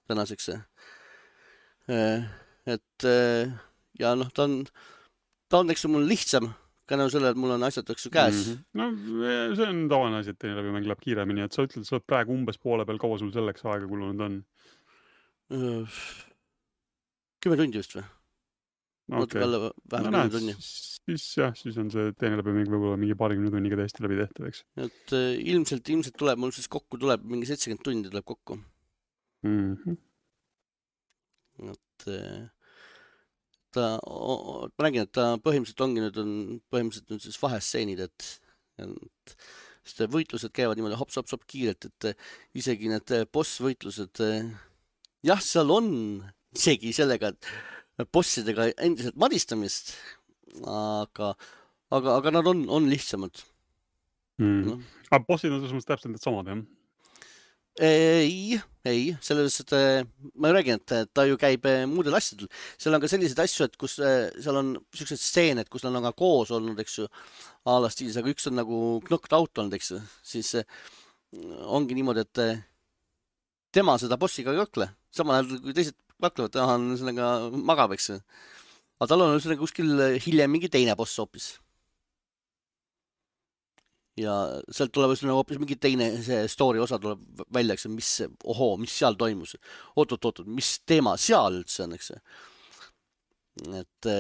tänaseks. Et ja noh, ta on, ta on eks mul lihtsam, ka nagu selle, et mul on asjad eks käes. Mm-hmm. No see on tavaline asi, et teine läbimäng läheb kiiremini, et sa ütled, sa oled praegu umbes poole peal, kaua sul selleks aega kulunud on? Kümme tundi just või? Okay. No, näed, siis jah, siis on see teine läbimäng võib-olla mingi paarikümne tunniga täiesti läbi tehtav, eks. Et äh, ilmselt, ilmselt tuleb mul siis kokku, tuleb mingi seitsekümmend tundi tuleb kokku. Mm-hmm. Et äh, ta, ma räägin, et ta põhimõtteliselt ongi nüüd, on põhimõtteliselt nüüd siis vahestseenid, et, et sest võitlused käivad niimoodi hops-hops-hop kiirelt, et isegi need boss-võitlused, jah, seal on isegi sellega, et bossidega endiselt madistamist, aga, aga, aga nad on, on lihtsamad. Mm. No. Aga bossid on selles täpselt need samad, jah? Ei, ei, selles, et ma räägin, et ta ju käib muudel asjadel. Seal on ka sellised asju, et kus seal on sellised stseened, kus nad on ka koos olnud, eks ju, ala stiilis, aga üks on nagu knocked out olnud, eks ju, siis ongi niimoodi, et tema seda bossiga ei kakle. Samal ajal, kui teised kaklevad, ta on sellega magab, eks. Aga tal on sellega kuskil hiljem mingi teine boss hoopis. Ja sealt tuleb hoopis mingi teine see story osa tuleb välja, eks, mis, ohoo, mis seal toimus. Oot, oot, oot, mis teema seal üldse on, eks. Et,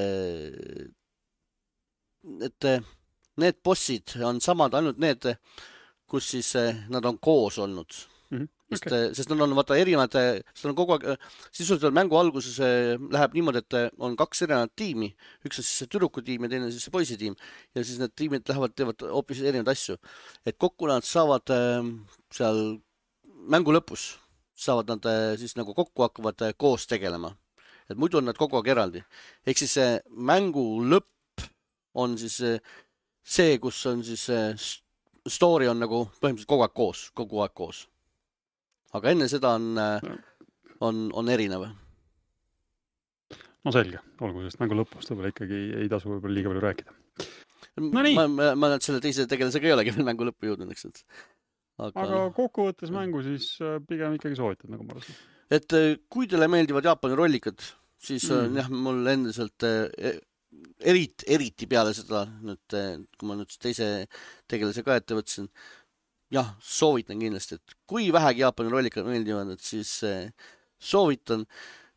et need bossid on samad, ainult need, kus siis nad on koos olnud. Mm-hmm. Sest, okay. sest nad on vaata erinevad, sest on kogu aeg, sisuliselt mängu alguses läheb niimoodi, et on kaks erinevat tiimi, üks on siis see tüdruku tiim ja teine siis see poisi tiim ja siis need tiimid lähevad, teevad hoopis erinevad asju. Et kokku nad saavad seal mängu lõpus, saavad nad siis nagu kokku hakkavad koos tegelema. Et muidu on nad kogu aeg eraldi. Ehk siis see mängu lõpp on siis see, kus on siis story on nagu põhimõtteliselt kogu aeg koos, kogu aeg koos. Aga enne seda on, on, on erinev. No selge, olgu sest mängu lõpust võib-olla ikkagi ei tasu võib-olla liiga palju rääkida. No nii. Ma, ma, ma näed selle teise tegelasega ei olegi veel mängu lõppu jõudnud, eks. Aga, aga kokkuvõttes mängu siis pigem ikkagi soovitad, nagu ma arvasin. Et kui teile meeldivad Jaapani rollikad, siis mm. jah, mul endiselt eriti, eriti peale seda, nüüd, kui ma nüüd teise tegelase ka ette võtsin, jah, soovitan kindlasti, et kui vähegi Jaapani rollikad meeldivad, et siis eh, soovitan.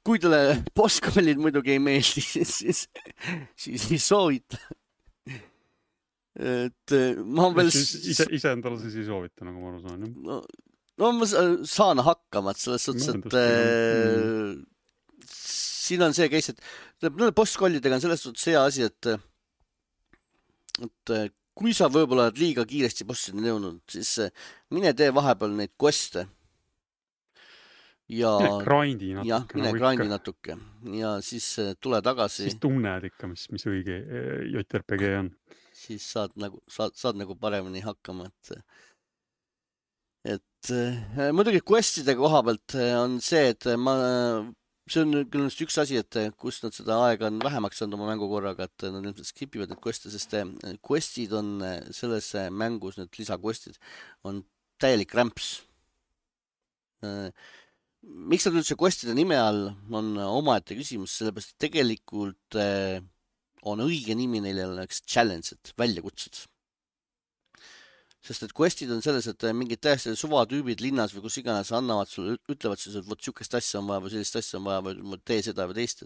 Kui teile boss-kollid muidugi ei meeldi, siis, siis ei soovita. Et ma veel... Ise, ise endale siis ei soovita, nagu ma aru saan. No, no ma saan hakkama, et selles suhtes, et äh, siin on see case, et boss-kollidega on selles suhtes see asi, et, et kui sa võib-olla oled liiga kiiresti bossini jõudnud, siis mine tee vahepeal neid queste. Ja, mine grindi natuke. Jah, mine nagu grindi ikka. natuke. Ja siis tule tagasi. Siis tunned ikka, mis, mis õige J R P G on. Siis saad nagu, saad, saad nagu paremini hakkama. Et, et muidugi questide koha pealt on see, et ma... See on küll üks asi, et kus nad seda aega on vähemaks saanud oma mängukorraga, et nad ilmselt skipivad need queste, sest questid on selles mängus, need lisaquestid, on täielik rämps. Miks nad üldse questide nime all on omaette küsimus, sellepärast tegelikult on õige nimi neile oleks challenge'id, väljakutsed. Sest et questid on selles, et mingid täiesti suvatüübid linnas või kus iganes annavad sulle, ütlevad siis, et võt sükest asja on vaja või sellist asja on vaja või tee seda või teist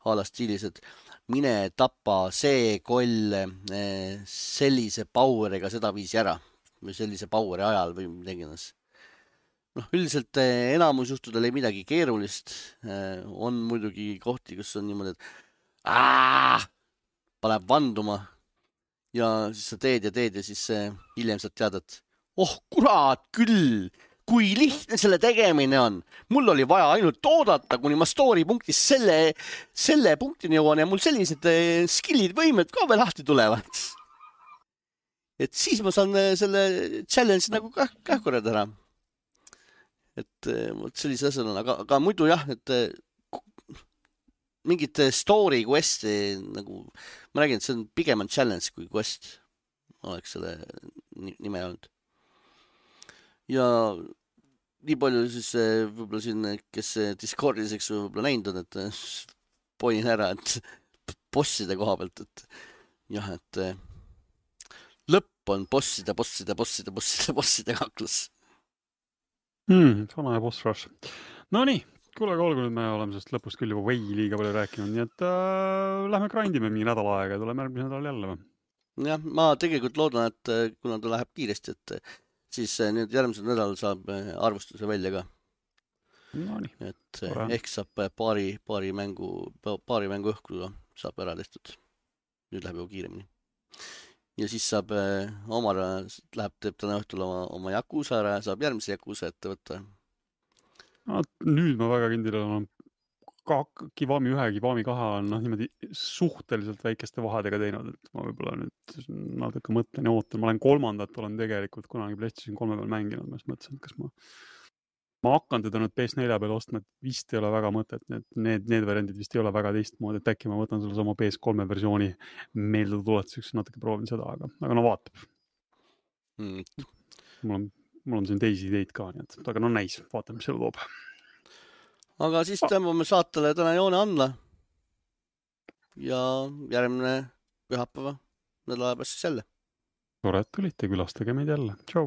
ala stiilis, et mine tapa see koll sellise poweriga seda viisi ära või sellise poweri ajal või midagi. noh, üldiselt enamus juhtudel ei midagi keerulist. On muidugi kohti, kus on niimoodi, et aah, paneb vanduma ja siis sa teed ja teed ja siis hiljem saad teada, et oh kurat küll, kui lihtne selle tegemine on. Mul oli vaja ainult oodata, kuni ma story punktis selle, selle punktini jõuan ja mul sellised skillid, võimed ka veel lahti tulevad. Et siis ma saan selle challenge nagu kähkurad ära. Et sellise asjal on, aga, aga muidu jah, et mingit story quest'i nagu, ma räägin, et see on pigem on challenge kui quest, oleks selle nime olnud. Ja nii palju siis võib-olla siin, kes Discordis, eks võib-olla näinud on, et poin ära, et bosside koha pealt, et jah, et lõpp on bosside, bosside, bosside, bosside, bosside kaklus. Hmm, sana ja boss rush. No nii. Kuule, aga olgu nüüd me oleme sellest lõpust küll juba või liiga palju rääkinud, nii et äh, lähme grindime mingi nädal aega ja tuleme järgmise nädal jälle või? Jah, ma tegelikult loodan, et kuna ta läheb kiiresti, et siis nüüd järgmisel nädal saab arvustuse välja ka. No nii. Et Ora. Ehk saab paari, paari mängu, paari mängu õhku saab ära tehtud. Nüüd läheb juba kiiremini. Ja siis saab Omar, läheb, teeb täna õhtul oma, oma Yakuza ära ja saab järgmise Yakuza ette võtta. No, nüüd ma väga kindel olen ka Kiwami ühe, Kiwami kahe on no, niimoodi suhteliselt väikeste vahedega teinud, et ma võib-olla nüüd natuke mõtlen ja ootan. Ma olen kolmandat, olen tegelikult kunagi PlayStation kolme peal mänginud, ma mõtlesin, et kas ma ma hakkan teda nüüd P S nelja peal ostma, et vist ei ole väga mõtet, need, need, need variandid vist ei ole väga teistmoodi, et äkki ma võtan selle sama P S kolme versiooni meelde tuletuseks, natuke proovin seda, aga, aga no vaatab. Mm. Mul on Mul on siin teisi ideid ka, nii et, aga no näis, vaatame, mis selle toob. Aga siis tõmbame saatele täna joone andla. Ja järgmine pühapäeva nädala pärast siis jälle. Tore, et tulite, külastage meid jälle. Tšau!